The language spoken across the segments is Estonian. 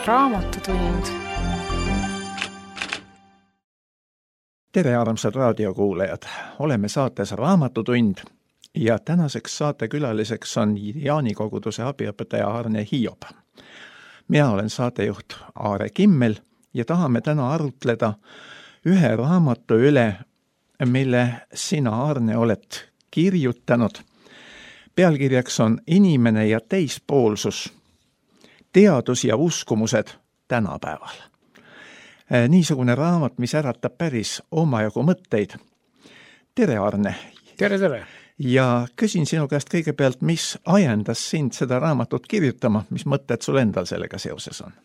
Raamatutund. Tere, armsad raadiokuulajad! Oleme saates Raamatutund ja tänaseks saatekülaliseks on Jaanikoguduse abiõpetaja Arne Hiob. Mina olen saatejuht Aare Kimmel ja tahame täna arutleda ühe raamatu üle, mille sina, Arne, oled kirjutanud. Pealkirjaks on Inimene ja teispoolsus, teadus ja uskumused tänapäeval. Niisugune raamat, mis äratab päris omajagu mõtteid. Tere, Arne! Tere! Ja küsin sinu käest kõigepealt, mis ajendas sind seda raamatut kirjutama, mis mõtted sul endal sellega seoses on?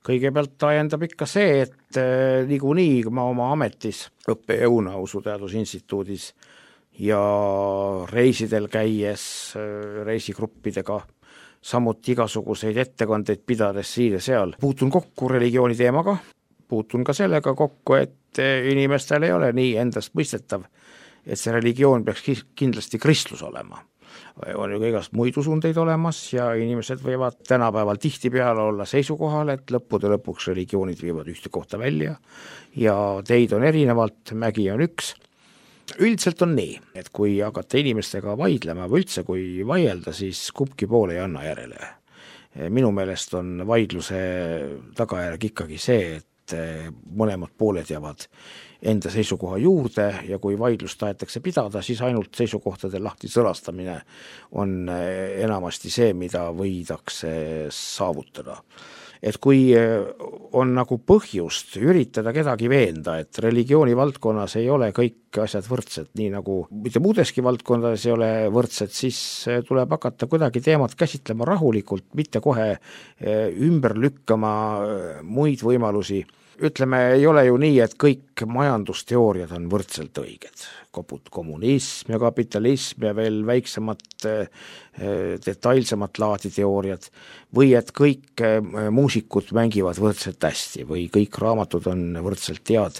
Kõigepealt ajendab ikka see, et niikuinii ma oma ametis õppejõuna Usuteadusinstituudis ja reisidel käies reisigruppidega, samuti igasuguseid ettekandeid pidades siin ja seal, puutun kokku religiooni teemaga, puutun ka sellega kokku, et inimestel ei ole nii endast mõistetav, et see religioon peaks kindlasti kristlus olema. On ju igast muid usundeid olemas ja inimesed võivad tänapäeval tihtipeale olla seisukohal, et lõppude lõpuks religioonid viivad ühte kohta välja ja teid on erinevalt, mägi on üks. Üldiselt on nii, et kui hakata inimestega vaidlema või üldse kui vaielda, siis kumbki pool ei anna järele. Minu meelest on vaidluse tagajärg ikkagi see, et mõlemad pooled jäävad enda seisukoha juurde ja kui vaidlust tahetakse pidada, siis ainult seisukohtade lahti sõlastamine on enamasti see, mida võidakse saavutada. Et kui on nagu põhjust üritada kedagi veenda, et religiooni valdkonnas ei ole kõik asjad võrdsed, nii nagu mitte muudeski valdkondades ei ole võrdsed, siis tuleb hakata kuidagi teemat käsitlema rahulikult, mitte kohe ümber lükkama muid võimalusi. Ütleme, ei ole ju nii, et kõik majandusteooriad on võrdselt õiged. Kommunism ja kapitalism ja veel väiksemat, detailsemat laadi teooriad või et kõik muusikud mängivad võrdselt hästi või kõik raamatud on võrdselt head.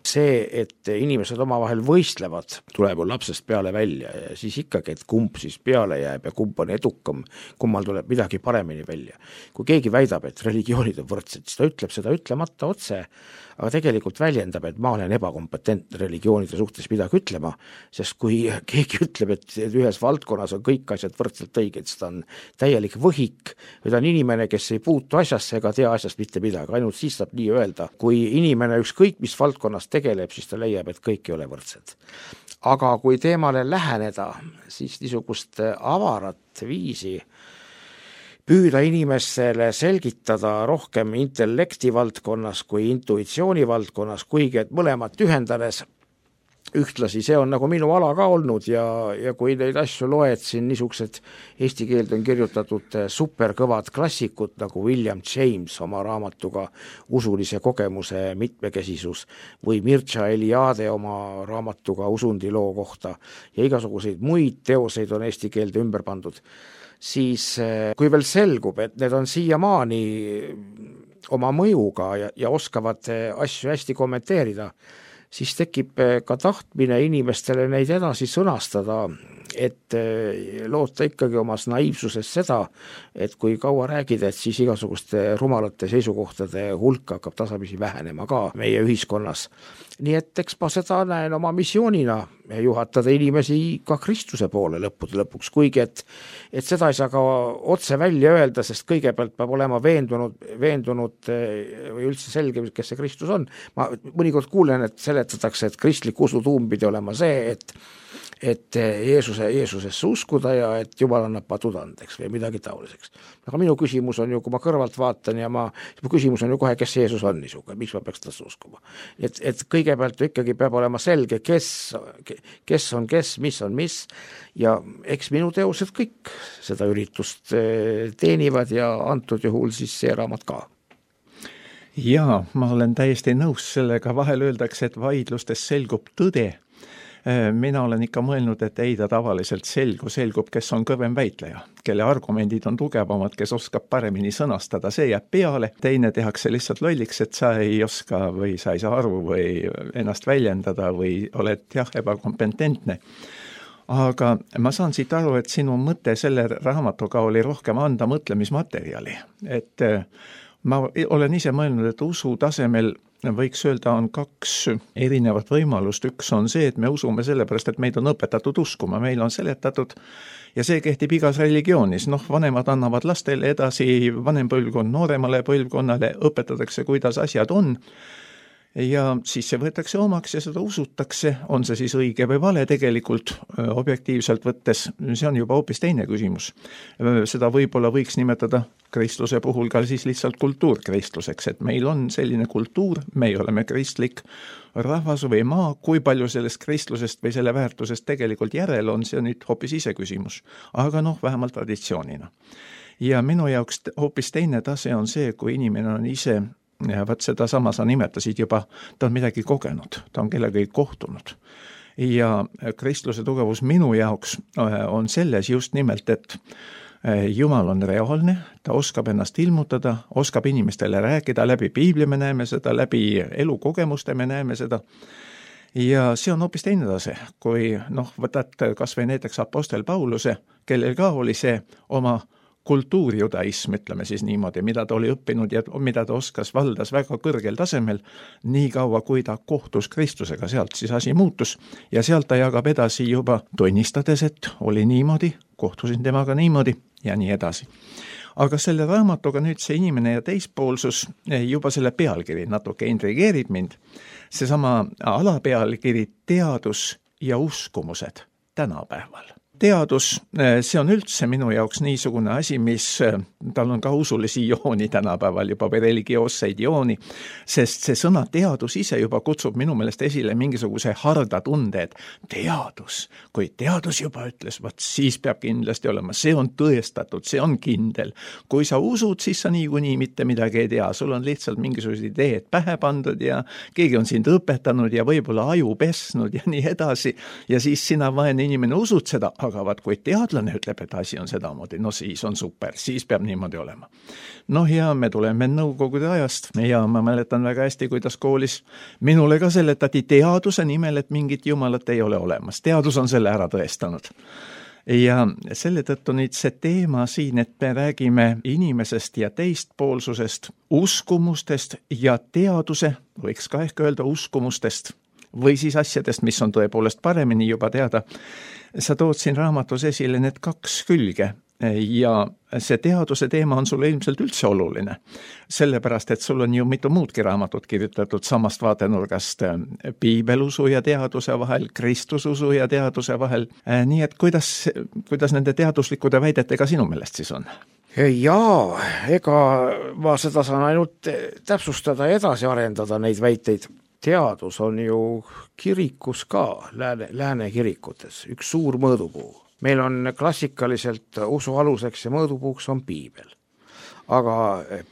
See, et inimesed omavahel võistlevad, tuleb ju lapsest peale välja ja siis ikkagi, et kumb siis peale jääb ja kumb on edukam, kummal tuleb midagi paremini välja. Kui keegi väidab, et religioonid on võrdsed, siis ta ütleb seda ütlemata otse, aga tegelikult väljendab, et ma olen ebakompetentne religioonide suhtes midagi ütlema, sest kui keegi ütleb, et ühes valdkonnas on kõik asjad võrdselt õiged, siis ta on täielik võhik või ta on inimene, kes ei puutu asjasse ega tea asjast mitte midagi, ainult siis saab nii öelda. Kui inimene ükskõik mis valdkonnas tegeleb, siis ta leiab, et kõik ei ole võrdsed. Aga kui teemale läheneda, siis niisugust avarat viisi püüda inimesele selgitada rohkem intellekti valdkonnas kui intuitsiooni valdkonnas, kuigi et mõlemat ühendades ühtlasi, see on nagu minu ala ka olnud ja kui neid asju loed, siin niisugused eesti keelde on kirjutatud superkõvad klassikud nagu William James oma raamatuga Usulise kogemuse mitmekesisus või Mircea Eliade oma raamatuga Usundiloo kohta ja igasuguseid muid teoseid on eesti keelde ümber pandud, siis kui veel selgub, et need on siiamaani oma mõjuga ja oskavad asju hästi kommenteerida, siis tekib ka tahtmine inimestele neid edasi sõnastada, et loota ikkagi omas naiivsuses seda, et kui kaua räägida, et siis igasuguste rumalate seisukohtade hulk hakkab tasapisi vähenema ka meie ühiskonnas. Nii et eks ma seda näen oma missioonina juhatada inimesi ka Kristuse poole lõppude lõpuks, kuigi et seda ei saa ka otse välja öelda, sest kõigepealt peab olema veendunud või üldse selge, kes see Kristus on. Ma mõnikord kuulen, et seletatakse, et kristlik usu tuum pidi olema see, et Jeesusesse uskuda ja et Jumal annab patud andeks või midagi taoliseks. Aga minu küsimus on ju, kui ma kõrvalt vaatan ja mu küsimus on ju kohe, kes Jeesus on niisugune, miks ma peaks tasse uskuma. Et kõigepealt ikkagi peab olema selge, kes on kes, mis on mis ja eks minu teosed kõik seda üritust teenivad ja antud juhul siis see raamat ka. Jaa, ma olen täiesti nõus sellega, vahel öeldakse, et vaidlustes selgub tõde. Mina olen ikka mõelnud, et ei ta tavaliselt selgub, kes on kõvem väitleja, kelle argumendid on tugevamad, kes oskab paremini sõnastada, see jääb peale, teine tehakse lihtsalt lolliks, et sa ei oska või sa ei saa aru või ennast väljendada või oled ebakompetentne. Aga ma saan siit aru, et sinu mõte selle raamatuga oli rohkem anda mõtlemismaterjali, et Ma olen ise mõelnud, et usu tasemel võiks öelda, on 2 erinevat võimalust. Üks on see, et me usume sellepärast, et meid on õpetatud uskuma, meil on seletatud ja see kehtib igas religioonis. Vanemad annavad lastele edasi, vanem põlvkond nooremale põlvkonnale, õpetatakse, kuidas asjad on. Ja siis see võetakse omaks ja seda usutakse, on see siis õige või vale tegelikult objektiivselt võttes, see on juba hoopis teine küsimus. Seda võib-olla võiks nimetada kristluse puhul ka siis lihtsalt kultuurkristluseks, et meil on selline kultuur, me oleme kristlik rahvas või maa, kui palju sellest kristlusest või selle väärtusest tegelikult järel on, see on nüüd hoopis ise küsimus, aga vähemalt traditsioonina. Ja minu jaoks hoopis teine tase on see, kui inimene on ise ja võt seda sama sa nimetasid juba, ta on midagi kogenud, ta on kellegagi kohtunud. Ja kristluse tugevus minu jaoks on selles just nimelt, et Jumal on reaalne, ta oskab ennast ilmutada, oskab inimestele rääkida, läbi piibli me näeme seda, läbi elukogemuste me näeme seda. Ja see on hoopis teine tase, kui võtad kas või näiteks apostel Pauluse, kellel ka oli see oma kultuurjudaism, ütleme siis niimoodi, mida ta oli õppinud ja mida ta oskas, valdas väga kõrgel tasemel, nii kaua kui ta kohtus Kristusega, sealt siis asi muutus ja sealt ta jagab edasi juba tunnistades, et oli niimoodi, kohtusin temaga niimoodi ja nii edasi. Aga selle raamatuga nüüd see inimene ja teispoolsus, juba selle pealkiri natuke intrigeerib mind, seesama alapealkiri teadus ja uskumused tänapäeval. Teadus, see on üldse minu jaoks niisugune asi, mis tal on ka usulisi jooni tänapäeval juba või religioosseid jooni, sest see sõna teadus ise juba kutsub minu meelest esile mingisuguse harda tunde, et teadus, kui teadus juba ütles, siis peab kindlasti olema, see on tõestatud, see on kindel. Kui sa usud, siis sa niikuinii mitte midagi ei tea, sul on lihtsalt mingisugused ideed pähe pandud ja keegi on sind õpetanud ja võib-olla aju pesnud ja nii edasi ja siis sina vaene inimene usud seda, aga kui teadlane ütleb, et asi on sedamoodi, siis on super, siis peab niimoodi olema. Ja me tuleme nõukogude ajast ja ma mäletan väga hästi, kuidas koolis minule ka seletati teaduse nimel, et mingit jumalat ei ole olemas. Teadus on selle ära tõestanud. Ja selle tõttu nüüd see teema siin, et me räägime inimesest ja teistpoolsusest, uskumustest ja teaduse, võiks ka ehk öelda uskumustest, või siis asjadest, mis on tõepoolest paremini juba teada. Sa tood siin raamatus esile need 2 külge ja see teaduse teema on sulle ilmselt üldse oluline, sellepärast, et sul on ju mitu muudki raamatut kirjutatud samast vaatenurgast piibelusu ja teaduse vahel, kristususu ja teaduse vahel. Nii et kuidas nende teaduslikude väidetega sinu meelest siis on? Jaa, ega ma seda saan ainult täpsustada ja edasi arendada neid väiteid. Teadus on ju kirikus ka, lääne kirikutes, üks suur mõõdupuu. Meil on klassikaliselt usu aluseks ja mõõdupuuks on piibel. Aga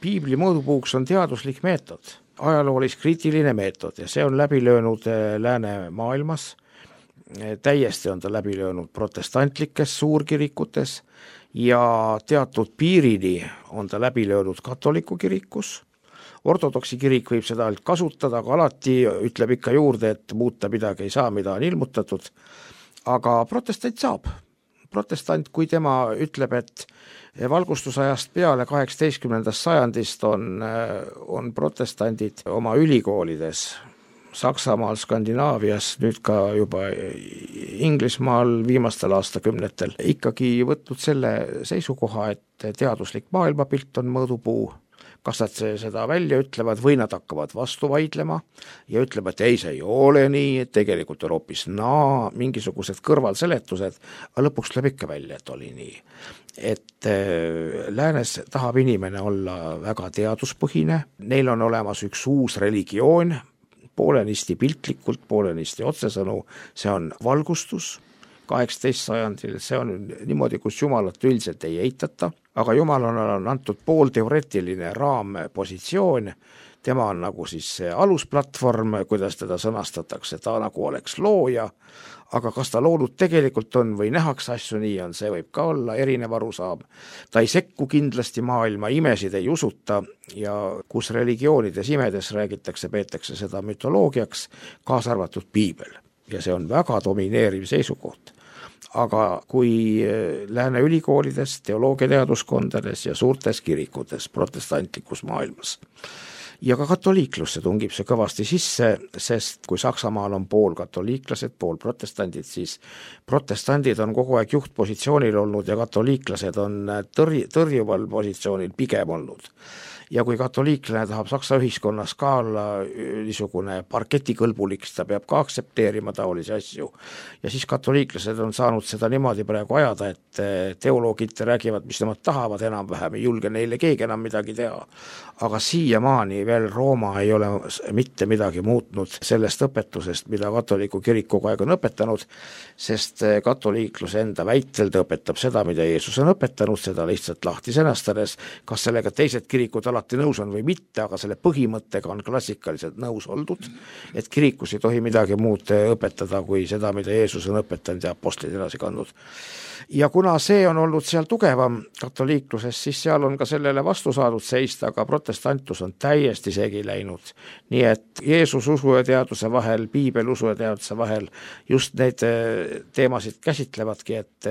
piibli mõõdupuuks on teaduslik meetod, ajaloolis-kriitiline meetod ja see on läbi löönud lääne maailmas. Täiesti on ta läbi löönud protestantlikes suurkirikutes ja teatud piirini on ta läbi löönud katoliku kirikus. Ortodoksi kirik võib seda kasutada, aga alati ütleb ikka juurde, et muuta midagi ei saa, mida on ilmutatud. Aga protestant saab. Protestant, kui tema ütleb, et valgustusajast peale 18. sajandist on protestandid oma ülikoolides Saksamaal, Skandinaavias, nüüd ka juba Inglismaal viimastel aastakümnetel ikkagi võtnud selle seisukoha, et teaduslik maailmapilt on mõõdupuu. Kas nad seda välja ütlevad või nad hakkavad vastu vaidlema ja ütlevad, et ei, see ei ole nii, et tegelikult on hoopis mingisugused kõrvalseletused, aga lõpuks tuleb ikka välja, et oli nii. Et läänes tahab inimene olla väga teaduspõhine, neil on olemas üks uus religioon, poolenisti piltlikult, poolenisti otsesõnu, see on valgustus. 18. sajandil, see on niimoodi, kus Jumalat üldiselt ei eitata, aga Jumal on antud poolteoreetiline raampositsioon, tema on nagu siis see alusplatvorm, kuidas teda sõnastatakse, ta nagu oleks looja, aga kas ta loodud tegelikult on või nähakse asju nii on, see võib ka olla erinev arusaam. Ta ei sekku kindlasti maailma, imesid ei usuta ja kus religioonides imedes räägitakse, peetakse seda mütoloogiaks, kaasa arvatud piibel ja see on väga domineeriv seisukoht. aga kui lääne ülikoolides, teoloogiateaduskondades ja suurtes kirikutes protestantlikus maailmas. Ja ka katoliiklusse tungib see kõvasti sisse, sest kui Saksamaal on pool katoliiklased, pool protestandid, siis protestandid on kogu aeg juhtpositsioonil olnud ja katoliiklased on tõrjuval positsioonil pigem olnud. Ja kui katoliiklane tahab Saksa ühiskonnas ka olla niisugune parketikõlbulik, ta peab ka aksepteerima taolisi asju. Ja siis katoliiklased on saanud seda niimoodi praegu ajada, et teoloogid räägivad, mis nemad tahavad enam-vähem, ei julge neile keegi enam midagi teha. Aga siiamaani veel Rooma ei ole mitte midagi muutnud sellest õpetusest, mida katoliku kirik kogu aeg on õpetanud, sest katoliiklus enda väitel ta õpetab seda, mida Jeesus on õpetanud, seda lihtsalt lahti sõnastades, kas sellega teised kirikud alati nõus on või mitte, aga selle põhimõttega on klassikaliselt nõus oldud, et kirikus ei tohi midagi muud õpetada kui seda, mida Jeesus on õpetanud ja apostlid edasi kandnud. Ja kuna see on olnud seal tugevam katoliikluses, siis seal on ka sellele vastu saadud seista, aga protestantlus on täiesti segi läinud. Nii et Jeesus usu ja teaduse vahel, piibel usu ja teaduse vahel just neid teemasid käsitlevadki, et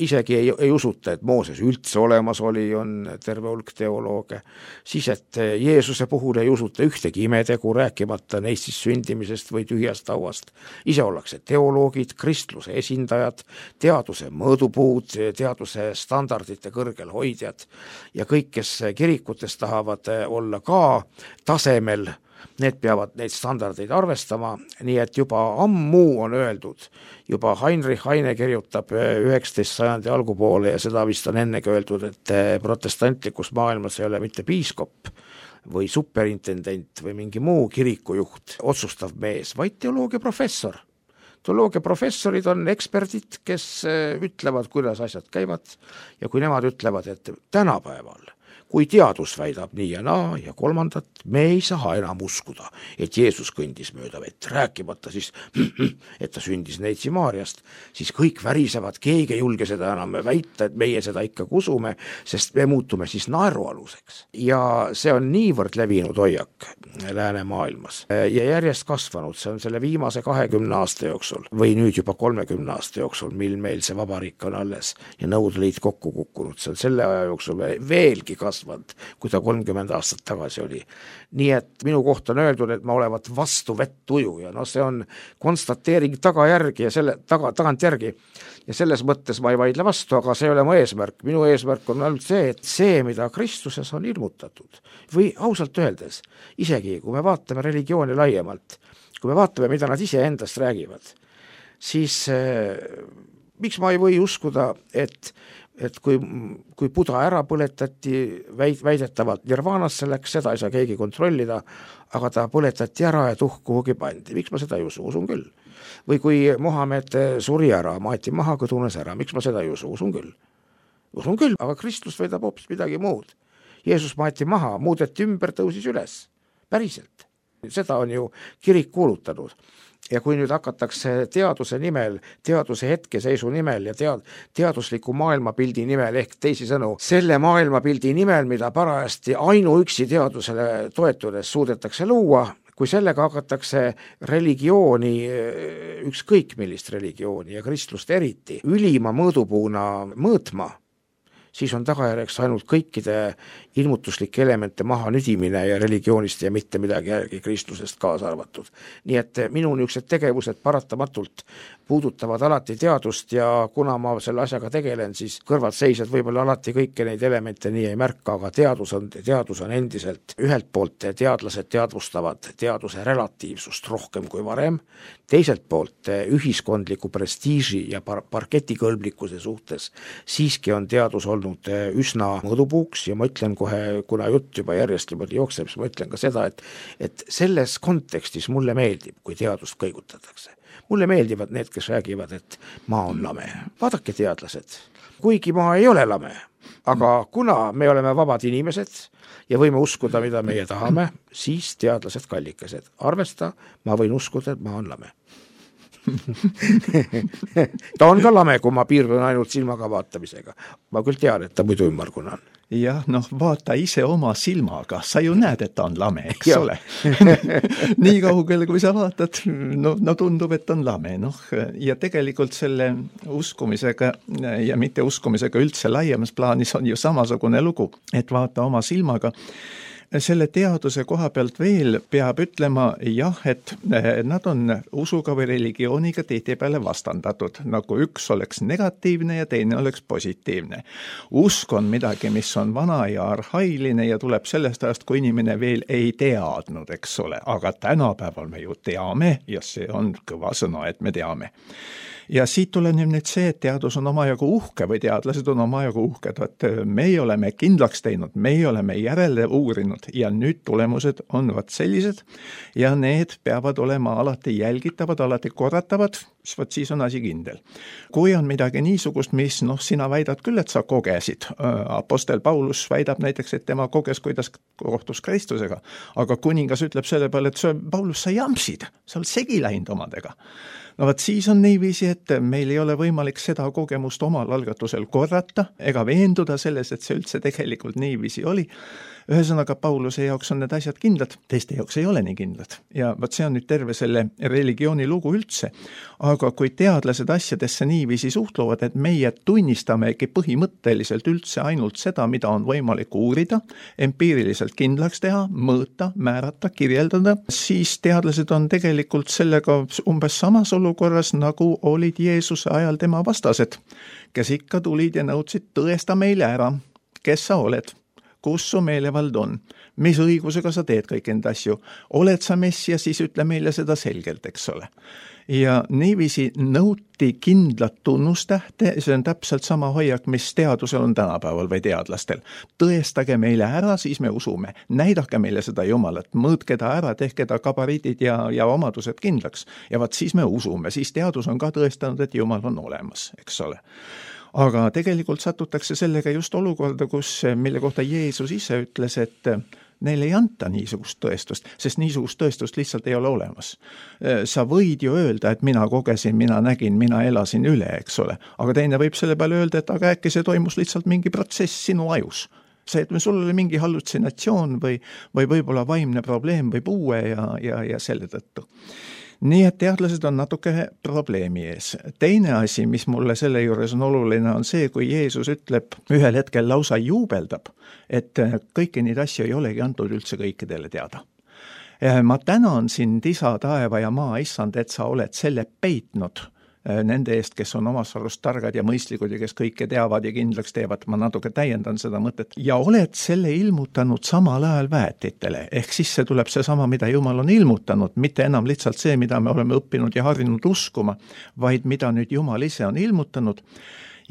isegi ei usuta, et Mooses üldse olemas oli, on terve hulk teolooge. Siis, et Jeesuse puhul ei usuta ühtegi imetegu, rääkimata neist siis sündimisest või tühjast hauast. Ise ollakse teoloogid, kristluse esindajad, teaduse mõõdupuud, teaduse standardite kõrgel hoidjad ja kõik, kes kirikutes tahavad olla ka tasemel, need peavad neid standardeid arvestama, nii et juba ammu on öeldud, juba Heinrich Heine kirjutab 19. sajandi algupoole ja seda vist on ennegi öeldud, et protestantlikus maailmas ei ole mitte piiskop või superintendent või mingi muu kirikujuht, otsustav mees, vaid teoloogiaprofessor. Teoloogiaprofessorid on eksperdid, kes ütlevad, kuidas asjad käivad ja kui nemad ütlevad, et tänapäeval, kui teadus väidab nii ja naa ja kolmandat, me ei saa enam uskuda, et Jeesus kõndis mööda vett, rääkimata siis, et ta sündis Neitsi Maariast, siis kõik värisevad, keegi ei julge seda enam väita, et meie seda ikka usume, sest me muutume siis naerualuseks. Ja see on niivõrd levinud hoiak läänemaailmas ja järjest kasvanud, see on selle viimase 20 aasta jooksul või nüüd juba 30 aasta jooksul, mil meil see vabariik on alles ja Nõukogude Liit kokku kukkunud, see on selle aja jooksul veelgi kasvanud, kui ta 30 aastat tagasi oli. Nii et minu kohta on öeldud, et ma olevat vastu vettuju ja see on konstateering tagajärgi ja selle tagantjärgi ja selles mõttes ma ei vaidle vastu, aga see ei ole mu eesmärk. Minu eesmärk on ainult see, et see, mida Kristuses on ilmutatud või ausalt öeldes, isegi kui me vaatame religiooni laiemalt, kui me vaatame, mida nad ise endast räägivad, siis miks ma ei või uskuda, et kui Buda ära põletati, väidetavalt nirvaanasse läks, seda ei saa keegi kontrollida, aga ta põletati ära ja tuhk kuhugi pandi. Miks ma seda ei usu? Usun küll. Või kui Mohamed suri ära, maeti maha, kõdunes ära, miks ma seda ei usu? Usun küll. Usun küll, aga Kristus väidab hoopis midagi muud. Jeesus maeti maha, muudeti ümber, tõusis üles. Päriselt. Seda on ju kirik kuulutanud. Ja kui nüüd hakatakse teaduse nimel, teaduse hetkeseisu nimel ja teadusliku maailmapildi nimel ehk teisisõnu, selle maailmapildi nimel, mida parajasti ainuüksi teadusele toetudes suudetakse luua, kui sellega hakatakse religiooni, ükskõik millist religiooni ja kristlust eriti, ülima mõõdupuuna mõõtma, siis on tagajärjeks ainult kõikide ilmutuslike elemente maha nüdimine ja religioonist ja mitte midagi järgi kristlusest kaasa arvatud. Nii et minu niisugused tegevused paratamatult puudutavad alati teadust ja kuna ma selle asjaga tegelen, siis kõrvad seisjad võib-olla alati kõiki neid elemente nii ei märka, aga teadus on endiselt ühelt poolt teadlased teadvustavad teaduse relatiivsust rohkem kui varem, teiselt poolt ühiskondliku prestiiži ja parketikõlblikkuse suhtes siiski on teadus olnud üsna mõõdupuuks ja ma ütlen kohe, kuna jutt juba järjest jookseb, siis ma ütlen ka seda, et selles kontekstis mulle meeldib, kui teadust kõigutatakse. Mulle meeldivad need, kes räägivad, et maa on lame. Vaadake teadlased, kuigi maa ei ole lame, aga kuna me oleme vabad inimesed ja võime uskuda, mida meie tahame, siis teadlased kallikesed. Arvesta, ma võin uskuda, et maa on lame. ta on ka lame, kui ma piirdun ainult silmaga vaatamisega. Ma küll tean, et ta muidu ümmargune on. Jah, vaata ise oma silmaga, sa ju näed, et ta on lame, eks ole. Nii kaugele, kui sa vaatad, tundub, et on lame. Ja tegelikult selle uskumisega ja mitte uskumisega üldse laiemas plaanis on ju samasugune lugu, et vaata oma silmaga. Selle teaduse koha pealt veel peab ütlema jah, et nad on usuga või religiooniga tihtipeale vastandatud, nagu üks oleks negatiivne ja teine oleks positiivne. Usk on midagi, mis on vana ja arhailine ja tuleb sellest ajast, kui inimene veel ei teadnud, eks ole, aga tänapäeval me ju teame ja see on kõva sõna, et me teame. Ja siit tuleneb nüüd see, et teadus on omajagu uhke või teadlased on omajagu uhked, et meie oleme kindlaks teinud, meie oleme järele uurinud ja nüüd tulemused on sellised ja need peavad olema alati jälgitavad, alati korratavad, siis on asi kindel. Kui on midagi niisugust, mis sina väidad küll, et sa kogesid, apostel Paulus väidab näiteks, et tema koges, kuidas kohtus Kristusega, aga kuningas ütleb selle peale, et Paulus, sa jamsid, sa oled segi läinud omadega. Siis on niiviisi, et meil ei ole võimalik seda kogemust omal algatusel korrata ega veenduda selles, et see üldse tegelikult niiviisi oli. Ühesõnaga, Pauluse jaoks on need asjad kindlad, teiste jaoks ei ole nii kindlad. Ja see on nüüd terve selle religiooni lugu üldse. Aga kui teadlased asjadesse niiviisi suhtluvad, et meie tunnistamegi põhimõtteliselt üldse ainult seda, mida on võimalik uurida, empiiriliselt kindlaks teha, mõõta, määrata, kirjeldada, siis teadlased on tegelikult sellega umbes samas olukorras, nagu olid Jeesuse ajal tema vastased, kes ikka tulid ja nõudsid, tõesta meile ära, kes sa oled. Kus su meelevald on, mis õigusega sa teed kõik enda asju, oled sa messia, siis ütle meile seda selgelt, eks ole. Ja niiviisi nõuti kindlat tunnustähte, see on täpselt sama hoiak, mis teadusel on tänapäeval või teadlastel. Tõestage meile ära, siis me usume, näidake meile seda Jumalat, mõõtke ta ära, tehke ta gabariidid ja omadused kindlaks ja siis me usume, siis teadus on ka tõestanud, et Jumal on olemas, eks ole. Aga tegelikult satutakse sellega just olukorda, mille kohta Jeesus ise ütles, et neile ei anta niisugust tõestust, sest niisugust tõestust lihtsalt ei ole olemas. Sa võid ju öelda, et mina kogesin, mina nägin, mina elasin üle, eks ole, aga teine võib selle peale öelda, et aga äkki see toimus lihtsalt mingi protsess sinu ajus. See, et sul oli mingi hallutsinatsioon või võib-olla vaimne probleem või puue ja selle tõttu. Nii et teadlased on natuke probleemi ees. Teine asi, mis mulle selle juures on oluline, on see, kui Jeesus ütleb ühel hetkel lausa juubeldab, et kõiki neid asju ei olegi antud üldse kõikidele teada. Ma tänan sind, isa, taeva ja maa, issand, et sa oled selle peitnud nende eest, kes on omas arust targad ja mõistlikud ja kes kõike teavad ja kindlaks teevad, ma natuke täiendan seda mõtet, ja oled selle ilmutanud samal ajal väetitele, ehk siis see tuleb seesama, mida Jumal on ilmutanud, mitte enam lihtsalt see, mida me oleme õppinud ja harjunud uskuma, vaid mida nüüd Jumal ise on ilmutanud.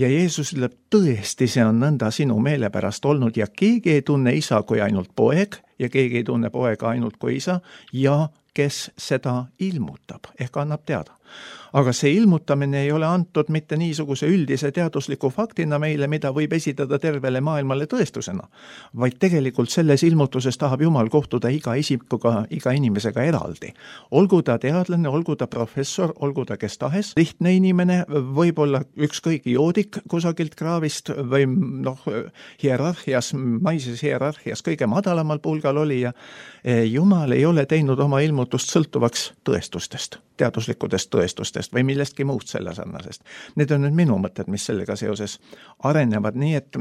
Ja Jeesus ütleb, tõesti see on nõnda sinu meele pärast olnud ja keegi ei tunne isa kui ainult poeg ja keegi ei tunne poega ainult kui isa ja kes seda ilmutab ehk annab teada. Aga see ilmutamine ei ole antud mitte niisuguse üldise teadusliku faktina meile, mida võib esitada tervele maailmale tõestusena, vaid tegelikult selles ilmutuses tahab Jumal kohtuda iga isikuga, iga inimesega eraldi. Olgu ta teadlane, olgu ta professor, olgu ta kes tahes, lihtne inimene, võib-olla ükskõik joodik kusagilt kraavist või hierarhias, maises hierarhias kõige madalamal pulgal oli ja Jumal ei ole teinud oma ilmutust sõltuvaks tõestustest, teaduslikudest tõestustest või millestki muust selle sarnasest. Need on nüüd minu mõtted, mis sellega seoses arenevad, nii et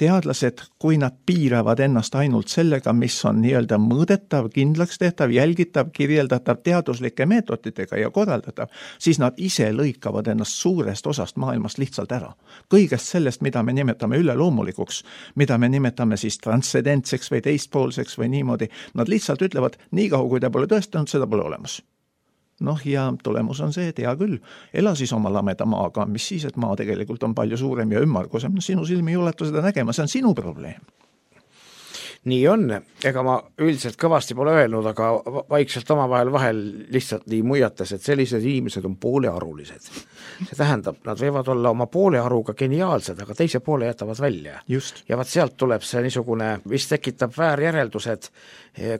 teadlased, kui nad piiravad ennast ainult sellega, mis on nii-öelda mõõdetav, kindlaks tehtav, jälgitav, kirjeldatav teaduslike meetoditega ja korraldatav, siis nad ise lõikavad ennast suurest osast maailmast lihtsalt ära. Kõigest sellest, mida me nimetame üleloomulikuks, mida me nimetame siis transcendentseks või teistpoolseks või niimoodi, nad lihtsalt ütlevad, nii kaua kui ta pole tõestanud, seda pole olemas. Ja tulemus on see, et hea küll, ela siis oma lameda maaga, mis siis, et maa tegelikult on palju suurem ja ümmargusem, sinu silmi ei ulatu seda nägema, see on sinu probleem. nii on, ega ma üldiselt kõvasti pole öelnud, aga vaikselt omavahel vahel lihtsalt nii muiates, et sellised inimesed on poolearulised. See tähendab, nad võivad olla oma poolearuga geniaalsed, aga teise poole jätavad välja. Just. Ja vaat sealt tuleb see niisugune, mis tekitab väärjäreldused,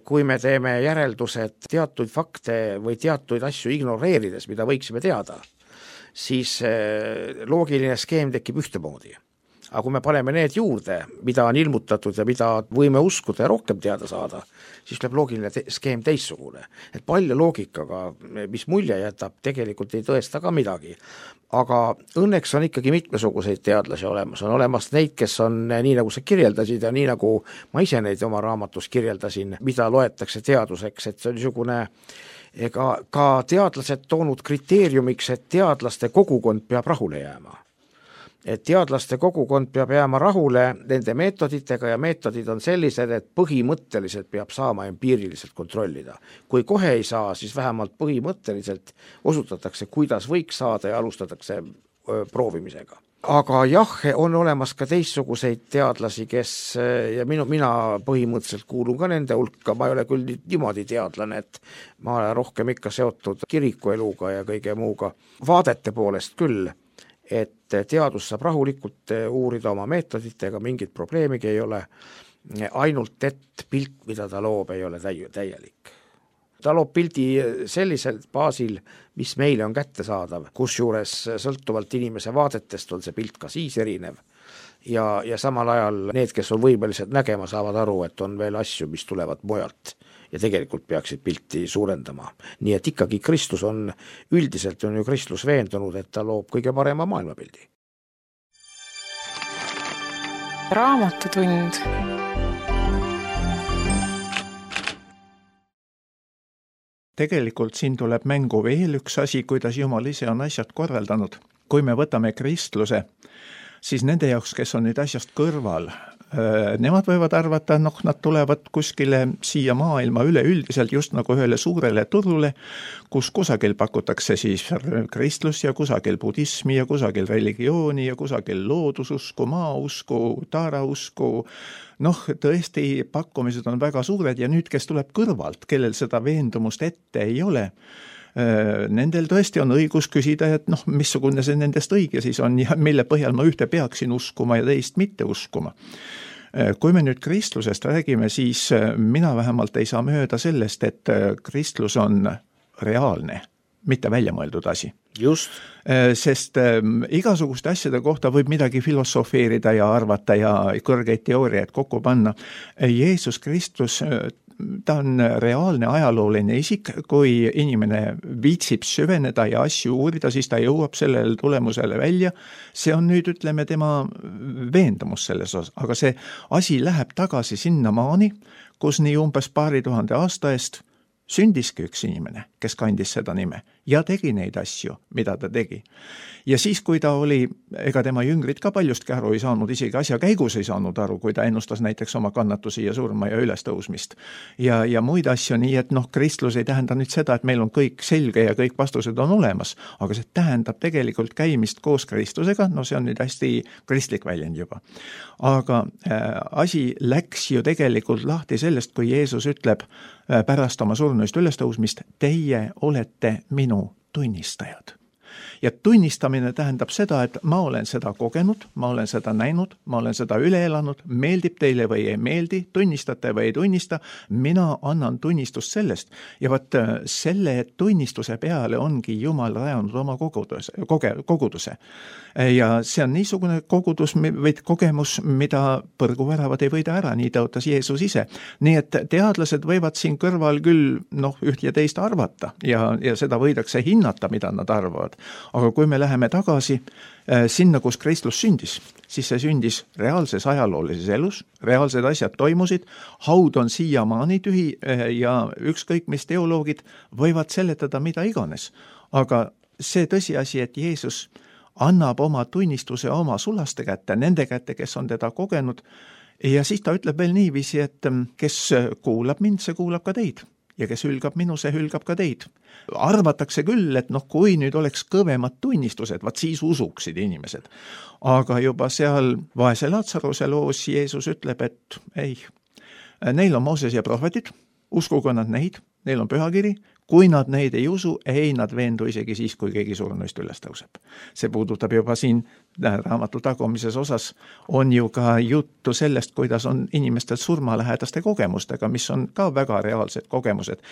kui me teeme järeldused teatuid fakte või teatuid asju ignoreerides, mida võiksime teada, siis loogiline skeem tekib ühtemoodi. Aga kui me paneme need juurde, mida on ilmutatud ja mida võime uskuda ja rohkem teada saada, siis tuleb loogiline skeem teissugune. Et palju loogikaga, mis mulje jätab, tegelikult ei tõesta ka midagi. Aga õnneks on ikkagi mitmesuguseid teadlasi olemas. On olemas neid, kes on nii, nagu sa kirjeldasid ja nii, nagu ma ise neid oma raamatus kirjeldasin, mida loetakse teaduseks, et see on niisugune ka teadlased toonud kriteeriumiks, et teadlaste kogukond peab rahule jääma. Et teadlaste kogukond peab jääma rahule nende meetoditega ja meetodid on sellised, et põhimõtteliselt peab saama empiiriliselt kontrollida. Kui kohe ei saa, siis vähemalt põhimõtteliselt osutatakse, kuidas võiks saada ja alustatakse proovimisega. Aga jah, on olemas ka teistsuguseid teadlasi, kes, ja mina põhimõtteliselt kuulun ka nende hulka, ma ei ole küll niimoodi teadlane, et ma olen rohkem ikka seotud kirikueluga ja kõige muuga, vaadete poolest küll, et teadus saab rahulikult uurida oma meetoditega, mingit probleemigi ei ole, ainult et pilt, mida ta loob, ei ole täielik. Ta loob pildi sellisel baasil, mis meile on kättesaadav, kusjuures sõltuvalt inimese vaadetest on see pilt ka siis erinev. Ja samal ajal need, kes on võimelised nägema, saavad aru, et on veel asju, mis tulevad mujalt ja tegelikult peaksid pilti suurendama. Nii et ikkagi Kristus on, üldiselt on ju Kristus veendunud, et ta loob kõige parema maailmapildi. Raamatutund. Tegelikult siin tuleb mängu veel üks asi, kuidas Jumal ise on asjad korraldanud. Kui me võtame kristluse, siis nende jaoks, kes on nüüd asjast kõrval, nemad võivad arvata, nad tulevad kuskile siia maailma üleüldiselt just nagu ühele suurele turule, kus kusagil pakutakse siis kristlus ja kusagil budismi ja kusagil religiooni ja kusagil loodususku, maausku, taarausku. Tõesti pakkumised on väga suured ja nüüd, kes tuleb kõrvalt, kellel seda veendumust ette ei ole, nendel tõesti on õigus küsida, et missugune see nendest õige siis on ja mille põhjal ma ühte peaksin uskuma ja teist mitte uskuma. Kui me nüüd kristlusest räägime, siis mina vähemalt ei saa mööda sellest, et kristlus on reaalne, mitte väljamõeldud asi. Just. Sest igasuguste asjade kohta võib midagi filosofeerida ja arvata ja kõrgeid teooriaid kokku panna. Jeesus Kristus, ta on reaalne ajalooline isik, kui inimene viitsib süveneda ja asju uurida, siis ta jõuab sellele tulemusele välja. See on nüüd, ütleme, tema veendumus selles osas, aga see asi läheb tagasi sinna maani, kus nii umbes 2000 aasta eest sündiski üks inimene, kes kandis seda nime ja tegi neid asju, mida ta tegi. Ja siis, kui ta oli, ega tema jüngrid ka paljustki aru ei saanud, isegi asja käigus ei saanud aru, kui ta ennustas näiteks oma kannatusi ja surma ja ülestõusmist ja muid asju, nii et kristlus ei tähenda nüüd seda, et meil on kõik selge ja kõik vastused on olemas, aga see tähendab tegelikult käimist koos Kristusega, see on nüüd hästi kristlik väljend juba. Aga asi läks ju tegelikult lahti sellest, kui Jeesus ütleb pärast oma surnuist ülestõusmist, teie olete minu tunnistajad. Ja tunnistamine tähendab seda, et ma olen seda kogenud, ma olen seda näinud, ma olen seda üle elanud, meeldib teile või ei meeldi, tunnistate või ei tunnista, mina annan tunnistust sellest. Ja vaat selle tunnistuse peale ongi Jumal rajanud oma koguduse. Ja see on niisugune kogudus või kogemus, mida põrguväravad ei võida ära, nii tõotas Jeesus ise. Nii et teadlased võivad siin kõrval küll üht ja teist arvata ja seda võidakse hinnata, mida nad arvavad. Aga kui me läheme tagasi sinna, kus Kristus sündis, siis see sündis reaalses ajaloolises elus, reaalsed asjad toimusid, haud on siiamaani tühi ja ükskõik mis teoloogid võivad seletada mida iganes. Aga see tõsiasi, et Jeesus annab oma tunnistuse oma sulaste kätte, nende kätte, kes on teda kogenud, ja siis ta ütleb veel niiviisi, et kes kuulab mind, see kuulab ka teid. Ja kes hülgab minu, see hülgab ka teid. Arvatakse küll, et kui nüüd oleks kõvemad tunnistused, vaat siis usuksid inimesed. Aga juba seal vaese Laatsaruse loos Jeesus ütleb, et ei, Neil on Mooses ja prohvetid, uskugu nad neid, neil on pühakiri, kui nad neid ei usu, ei nad veendu isegi siis, kui keegi surnuist üles tõuseb. See puudutab juba siin raamatu tagumises osas, on ju ka juttu sellest, kuidas on inimestel surmalähedaste kogemustega, mis on ka väga reaalsed kogemused.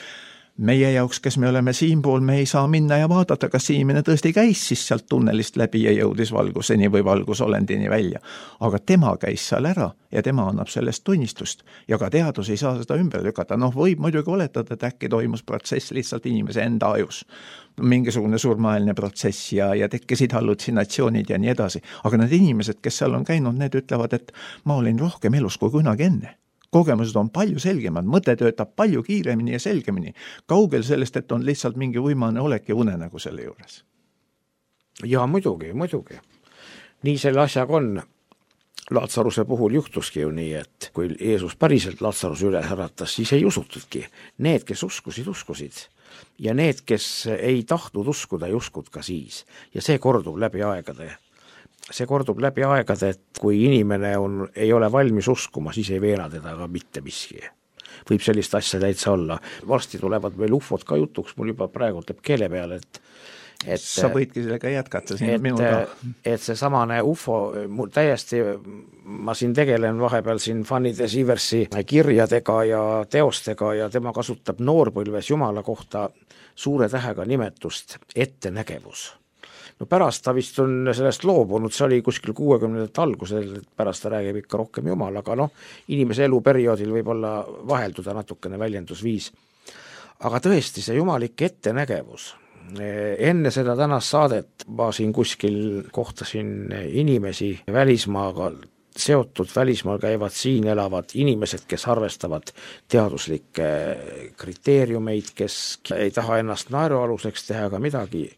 Meie jaoks, kes me oleme siinpool, me ei saa minna ja vaadata, kas inimene tõesti käis siis sealt tunnelist läbi ja jõudis valguseni või valgusolendini välja. Aga tema käis seal ära ja tema annab sellest tunnistust ja ka teadus ei saa seda ümber lükata. Võib muidugi oletada, et äkki toimus protsess lihtsalt inimese enda ajus. Mingisugune surmaaeline protsess ja tekkisid hallutsinatsioonid ja nii edasi. Aga need inimesed, kes seal on käinud, need ütlevad, et ma olin rohkem elus kui kunagi enne. Kogemused on palju selgemad, mõte töötab palju kiiremini ja selgemini. Kaugel sellest, et on lihtsalt mingi uimane olek ja unenägu selle juures. Ja muidugi. Nii selle asjaga on. Laatsaruse puhul juhtuski ju nii, et kui Jeesus päriselt Laatsaruse üle äratas, siis ei usutudki. Need, kes uskusid. Ja need, kes ei tahtnud uskuda, ei uskud ka siis. Ja see kordub läbi aegade. Et kui inimene ei ole valmis uskuma, siis ei veena teda ka mitte miski. Võib sellist asja täitsa olla. Varsti tulevad meil ufod ka jutuks, mul juba praegu teeb keele peale, et sa võidki sellega jätkata siin minuga. Et see samane ufo, täiesti ma siin tegelen vahepeal siin Fanny de Sieversi kirjadega ja teostega ja tema kasutab noorpõlves Jumala kohta suure tähega nimetust ettenägevus. No pärast ta vist on sellest loobunud, see oli kuskil 60. algusel, et pärast ta räägib ikka rohkem Jumal, aga inimese eluperioodil võib olla vahelduda natukene väljendusviis. Aga tõesti, see jumalik ettenägevus. Enne seda tänast saadet ma siin kuskil kohtasin inimesi välismaaga seotud, välismaal käivad, siin elavad inimesed, kes arvestavad teaduslikke kriteeriumeid, kes ei taha ennast naerualuseks teha, aga midagi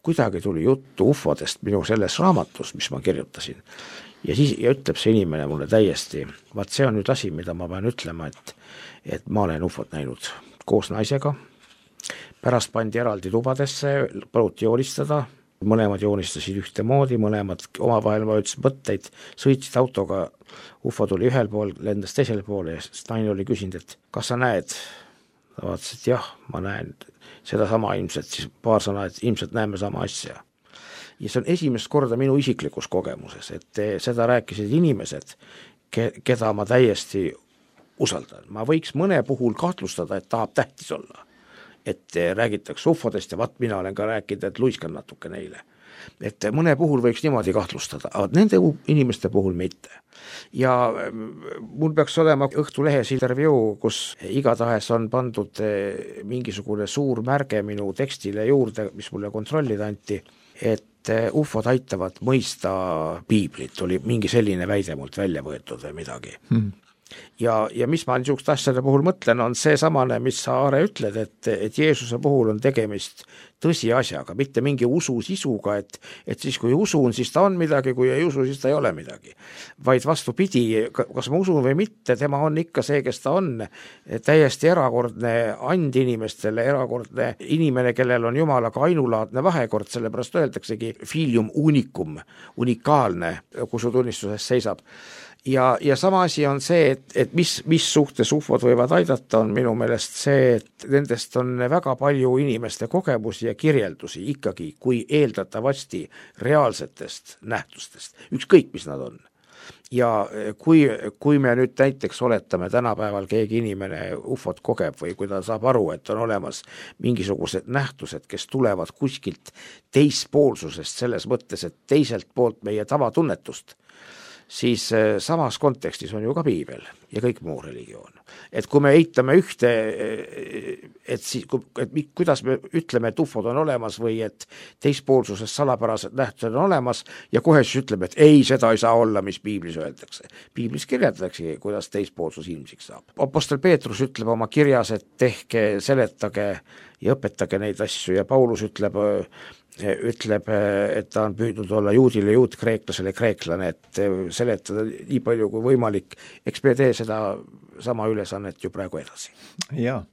kuidagi tuli juttu ufodest minu selles raamatus, mis ma kirjutasin. Ja siis ütleb see inimene mulle täiesti, vaat see on nüüd asi, mida ma pean ütlema, et ma olen ufot näinud koos naisega. Pärast pandi eraldi tubadesse, paluti joonistada, mõlemad joonistasid ühte moodi, mõlemad omavahel vajutasid mõtteid, sõitsid autoga, ufo tuli ühel pool, lendas teisel pool ja naine oli küsinud, et kas sa näed? Ta vaatas, et jah, ma näen seda sama ilmselt, siis paar sõna, et ilmselt näeme sama asja. Ja see on esimest korda minu isiklikus kogemuses, et seda rääkisid inimesed, keda ma täiesti usaldan. Ma võiks mõne puhul kahtlustada, et tahab tähtis olla. Et räägitakse ufodest ja vaat mina olen ka rääkinud, et luiskan natuke neile. Et mõne puhul võiks niimoodi kahtlustada, aga nende inimeste puhul mitte. Ja mul peaks olema Õhtulehes intervjuu, kus igatahes on pandud mingisugune suur märge minu tekstile juurde, mis mulle kontrollida anti, et ufod aitavad mõista piiblit, oli mingi selline väide mult välja võetud või midagi. Ja mis ma niisugust asjade puhul mõtlen, on see samane, mis sa, Aare, ütled, et Jeesuse puhul on tegemist tõsiasjaga, mitte mingi usu sisuga, et siis kui usun, siis ta on midagi, kui ei usu, siis ta ei ole midagi. Vaid vastupidi, kas ma usun või mitte, tema on ikka see, kes ta on, täiesti erakordne and inimestele, erakordne inimene, kellel on Jumalaga ainulaadne vahekord, sellepärast öeldaksegi filium unicum, unikaalne, kui su tunnistuses seisab. Ja sama asi on see, et mis suhtes ufod võivad aidata, on minu meelest see, et nendest on väga palju inimeste kogemusi ja kirjeldusi ikkagi, kui eeldatavasti reaalsetest nähtustest, ükskõik mis nad on. Ja kui me nüüd näiteks oletame tänapäeval keegi inimene ufot kogeb või kui ta saab aru, et on olemas mingisugused nähtused, kes tulevad kuskilt teispoolsusest selles mõttes, et teiselt poolt meie tavatunnetust, siis samas kontekstis on ju ka piibel ja kõik muu religioon. Et kui me eitame ühte, kuidas me ütleme, et ufod on olemas või et teispoolsuses salapärased nähtused on olemas ja kohe siis ütleme, et ei, seda ei saa olla, mis piiblis öeldakse. Piiblis kirjeldatakse, kuidas teispoolsus ilmsiks saab. Apostel Peetrus ütleb oma kirjas, et tehke, seletage ja õpetage neid asju ja Paulus ütleb, et ta on püüdnud olla juudile juut, kreeklasele kreeklane, et seletada nii palju kui võimalik. Eks me tee seda sama ülesannet ju praegu edasi. Jaa.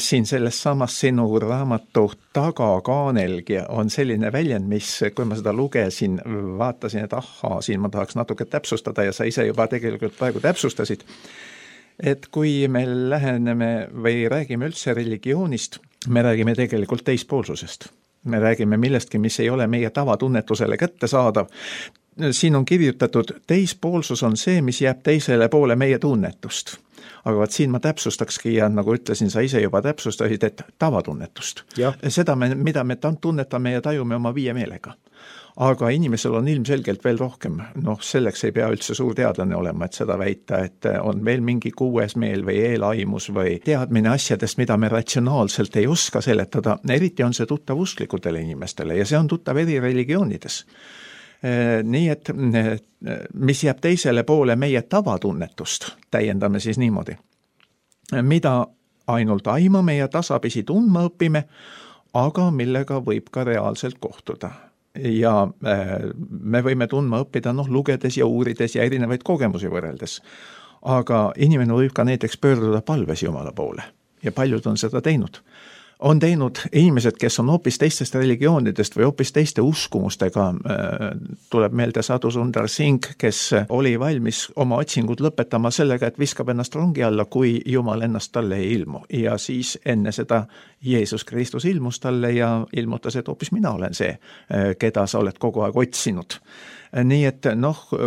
siin selles samas sinu raamatu tagakaanelgi on selline väljend, mis, kui ma seda lugesin, vaatasin, et ahaa, siin ma tahaks natuke täpsustada ja sa ise juba tegelikult praegu täpsustasid, et kui me läheneme või räägime üldse religioonist, me räägime tegelikult teispoolsusest. Me räägime millestki, mis ei ole meie tavatunnetusele kättesaadav. Siin on kirjutatud, teispoolsus on see, mis jääb teisele poole meie tunnetust. Aga vaat siin ma täpsustakski ja nagu ütlesin, sa ise juba täpsustasid, et tavatunnetust. Seda, mida me tunnetame ja tajume oma viie meelega. Aga inimesel on ilmselgelt veel rohkem. Selleks ei pea üldse suur teadlane olema, et seda väita, et on veel mingi kuues meel või eelaimus või teadmine asjadest, mida me ratsionaalselt ei oska seletada. Eriti on see tuttav usklikutele inimestele ja see on tuttav eri religioonides. Nii et mis jääb teisele poole meie tavatunnetust, täiendame siis niimoodi. Mida ainult aimame ja tasapisi tundma õpime, aga millega võib ka reaalselt kohtuda. Ja me võime tundma õppida lugedes ja uurides ja erinevaid kogemusi võrreldes. Aga inimene võib ka näiteks pöörduda palves Jumala poole ja paljud on seda teinud. On teinud inimesed, kes on hoopis teistest religioonidest või hoopis teiste uskumustega. Tuleb meelde Sadhu Sundar Singh, kes oli valmis oma otsingud lõpetama sellega, et viskab ennast rongi alla, kui Jumal ennast talle ei ilmu. Ja siis enne seda Jeesus Kristus ilmus talle ja ilmutas, et hoopis mina olen see, keda sa oled kogu aeg otsinud. Nii et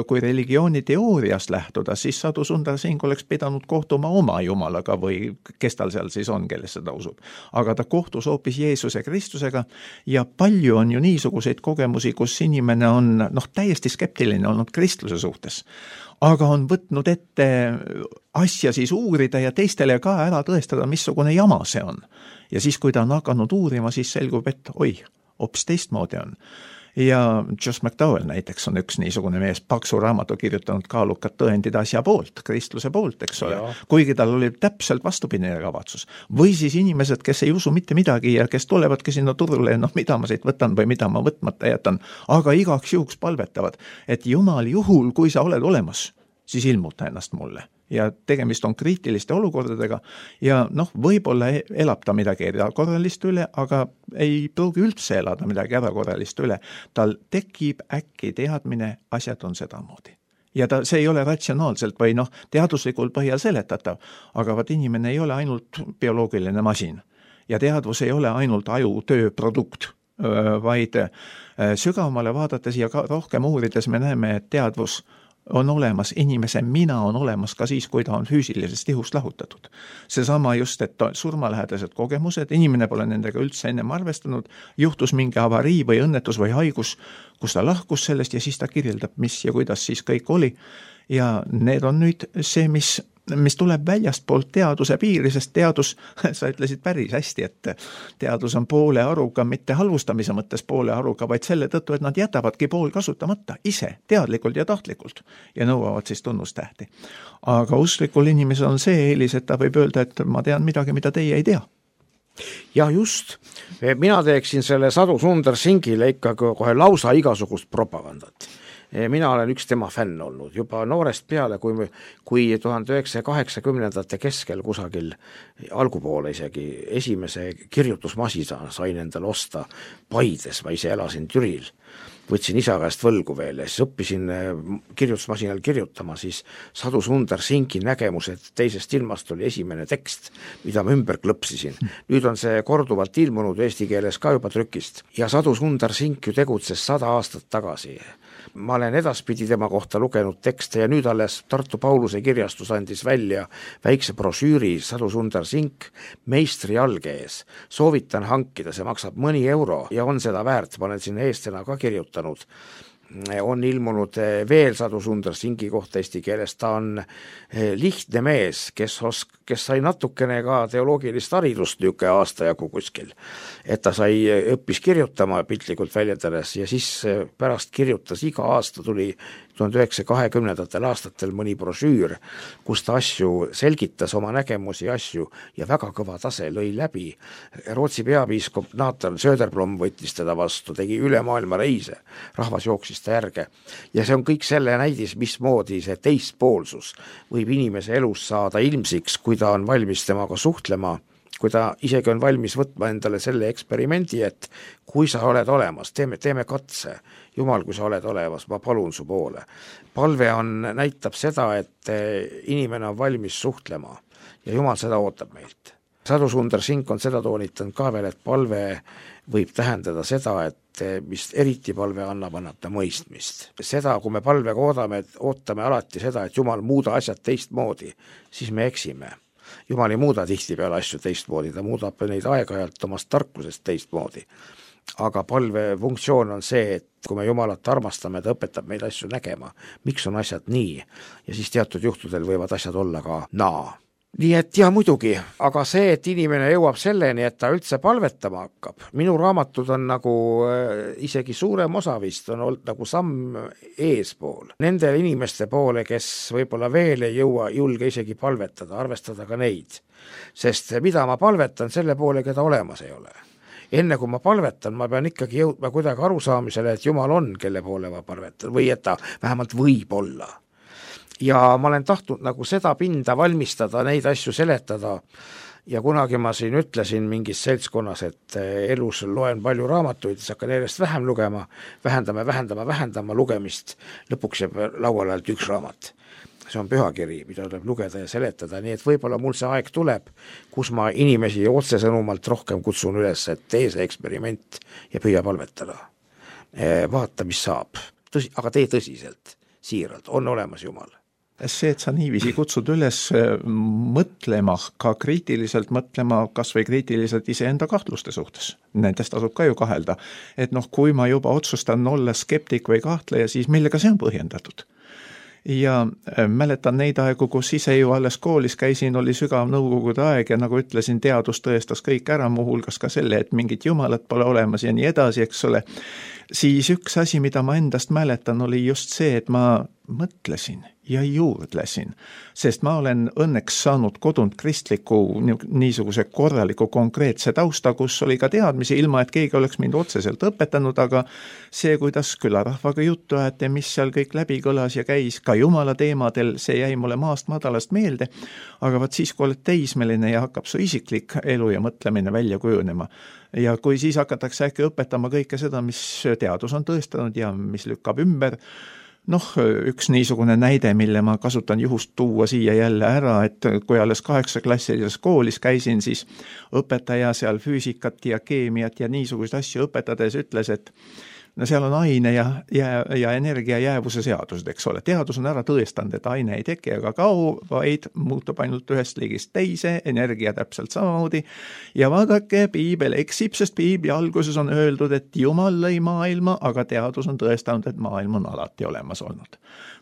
kui religiooni teooriast lähtuda, siis Sadhu Sundar Singh oleks pidanud kohtuma oma Jumalaga või kes tal seal siis on, kelles seda usub. Aga ta kohtus hoopis Jeesuse Kristusega ja palju on ju niisuguseid kogemusi, kus inimene on täiesti skeptiline olnud kristluse suhtes. Aga on võtnud ette asja siis uurida ja teistele ka ära tõestada, missugune jama see on. Ja siis, kui ta on hakanud uurima, siis selgub, et hoopis teistmoodi on. Ja Josh McDowell näiteks on üks niisugune mees, paksu raamatu kirjutanud kaalukad tõendid asja poolt, kristluse poolt, eks ole. Kuigi tal oli täpselt vastupidine kavatsus. Või siis inimesed, kes ei usu mitte midagi ja kes tulevadki sinna turule, mida ma siit võtan või mida ma võtmata jätan, aga igaks juhuks palvetavad, et Jumal juhul, kui sa oled olemas, siis ilmuta ennast mulle. Ja tegemist on kriitiliste olukordadega ja võib-olla elab ta midagi erakorralist üle, aga ei pruugi üldse elada midagi erakorralist üle. Tal tekib äkki teadmine, asjad on sedamoodi. Ja see ei ole ratsionaalselt või teaduslikul põhjal seletatav, aga vaat inimene ei ole ainult bioloogiline masin ja teadvus ei ole ainult aju tööprodukt, vaid sügavamale vaadates ja rohkem uurides me näeme, et teadvus on olemas, inimese mina on olemas ka siis, kui ta on füüsilisest ihust lahutatud. Seesama just, et surmalähedased kogemused, inimene pole nendega üldse ennem arvestanud, juhtus mingi avarii või õnnetus või haigus, kus ta lahkus sellest ja siis ta kirjeldab, mis ja kuidas siis kõik oli. Ja need on nüüd see, mis tuleb väljastpoolt teaduse piiri, sest teadus, sa ütlesid päris hästi, et teadus on poole aruga, mitte halvustamise mõttes poole aruga, vaid selle tõttu, et nad jätavadki pool kasutamata ise, teadlikult ja tahtlikult ja nõuavad siis tunnustähti. Aga usklikul inimesel on see eelis, et ta võib öelda, et ma tean midagi, mida teie ei tea. Ja just, mina teeksin selle Sadhu Sundar Singhile ikka kohe lausa igasugust propagandat. Mina olen üks tema fänn olnud juba noorest peale, kui 1980-ndate keskel kusagil algupoole isegi esimese kirjutusmasina sain endale osta Paides, ma ise elasin Türil, võtsin isa käest võlgu veel ja siis õppisin kirjutusmasinal kirjutama, siis Sadhu Sundar Singhi nägemus, et teisest ilmast oli esimene tekst, mida ma ümber klõpsisin. Nüüd on see korduvalt ilmunud eesti keeles ka juba trükist ja Sadhu Sundar Singh ju tegutses 100 aastat tagasi. Ma olen edaspidi tema kohta lugenud tekste ja nüüd alles Tartu Pauluse kirjastus andis välja väikse brošüüri Sadhu Sundar Singh meistri jalge ees. Soovitan hankida, see maksab mõni euro ja on seda väärt, ma olen sinna eestena ka kirjutanud. On ilmunud veel Sadhu Sundar Singhi kohta eesti keeles, ta on lihtne mees, kes sai natukene ka teoloogilist haridust niisugune aastajagu kuskil, et ta õppis kirjutama piltlikult väljendades ja siis pärast kirjutas iga aasta tuli 1920. aastatel mõni brošüür, kus ta asju selgitas, oma nägemusi asju ja väga kõva tase lõi läbi. Rootsi peapiiskop Nathan Söderblom võttis teda vastu, tegi üle maailma reise, rahvas jooksis ta järge. Ja see on kõik selle näidis, mismoodi see teispoolsus võib inimese elus saada ilmsiks, kui ta on valmis temaga suhtlema, kui ta isegi on valmis võtma endale selle eksperimendi, et kui sa oled olemas, teeme katse, Jumal, kui sa oled olemas, ma palun su poole. Palve näitab seda, et inimene on valmis suhtlema ja Jumal seda ootab meilt. Sadu Sundar Singh on seda toonitanud ka veel, et palve võib tähendada seda, et mis eriti palve annab ta mõistmist. Seda, kui me palvega ootame alati seda, et Jumal muuda asjad teistmoodi, siis me eksime. Jumal ei muuda tihtipeale asju teistmoodi, ta muudab neid aeg-ajalt omast tarkusest teistmoodi. Aga palve funktsioon on see, et kui me Jumalat armastame, ta õpetab meid asju nägema, miks on asjad nii, ja siis teatud juhtudel võivad asjad olla ka naa. Nii et ja muidugi, aga see, et inimene jõuab selleni, et ta üldse palvetama hakkab, minu raamatud on nagu isegi suurem osa vist on olnud nagu samm eespool. Nende inimeste poole, kes võib-olla veel ei julge isegi palvetada, arvestada ka neid. Sest mida ma palvetan selle poole, keda olemas ei ole. Enne kui ma palvetan, ma pean ikkagi jõudma kuidagi arusaamisele, et Jumal on, kelle poole ma palvetan, või et ta vähemalt võib olla. Ja ma olen tahtnud nagu seda pinda valmistada, neid asju seletada ja kunagi ma siin ütlesin mingis seltskonnas, et elus loen palju raamatuid, siis hakkan järjest vähem lugema, vähendama lugemist, lõpuks jääb lauale ainult üks raamat. See on pühakiri, mida tuleb lugeda ja seletada, nii et võib-olla mul see aeg tuleb, kus ma inimesi otsesõnumalt rohkem kutsun üles, et tee see eksperiment ja püüa palvetada. Vaata, mis saab, aga tee tõsiselt, siiralt, on olemas Jumal. See, et sa niiviisi kutsud üles mõtlema, ka kriitiliselt mõtlema, kas või kriitiliselt iseenda kahtluste suhtes. Nendest tasub ka ju kahelda. Et kui ma juba otsustan olla skeptik või kahtleja, siis millega see on põhjendatud? Ja mäletan neid aegu, kus ise ju alles koolis käisin, oli sügav nõukogude aeg ja nagu ütlesin, teadus tõestas kõik ära, muuhulgas ka selle, et mingit jumalat pole olemas ja nii edasi, eks ole. Siis üks asi, mida ma endast mäletan, oli just see, et ma mõtlesin ja juurdlesin, sest ma olen õnneks saanud kodunt kristliku niisuguse korraliku konkreetse tausta, kus oli ka teadmisi, ilma et keegi oleks mind otseselt õpetanud, aga see, kuidas külarahvaga juttu ajate, mis seal kõik läbi kõlas ja käis ka Jumala teemadel, see jäi mulle maast madalast meelde, aga vaat siis, kui oled teismeline ja hakkab su isiklik elu ja mõtlemine välja kujunema, ja kui siis hakatakse äkki õpetama kõike seda, mis teadus on tõestanud ja mis lükkab ümber, üks niisugune näide, mille ma kasutan juhust tuua siia jälle ära, et kui alles 8-klassilises koolis käisin, siis õpetaja seal füüsikat ja keemiat ja niisuguseid asju õpetades ütles, et seal on aine ja energia jäävuse seadused, eks ole. Teadus on ära tõestanud, et aine ei teki ega kao, vaid muutub ainult ühest liigist teise, energia täpselt samamoodi. Ja vaadake, piibel eksib, sest piibli alguses on öeldud, et Jumal lõi maailma, aga teadus on tõestanud, et maailm on alati olemas olnud.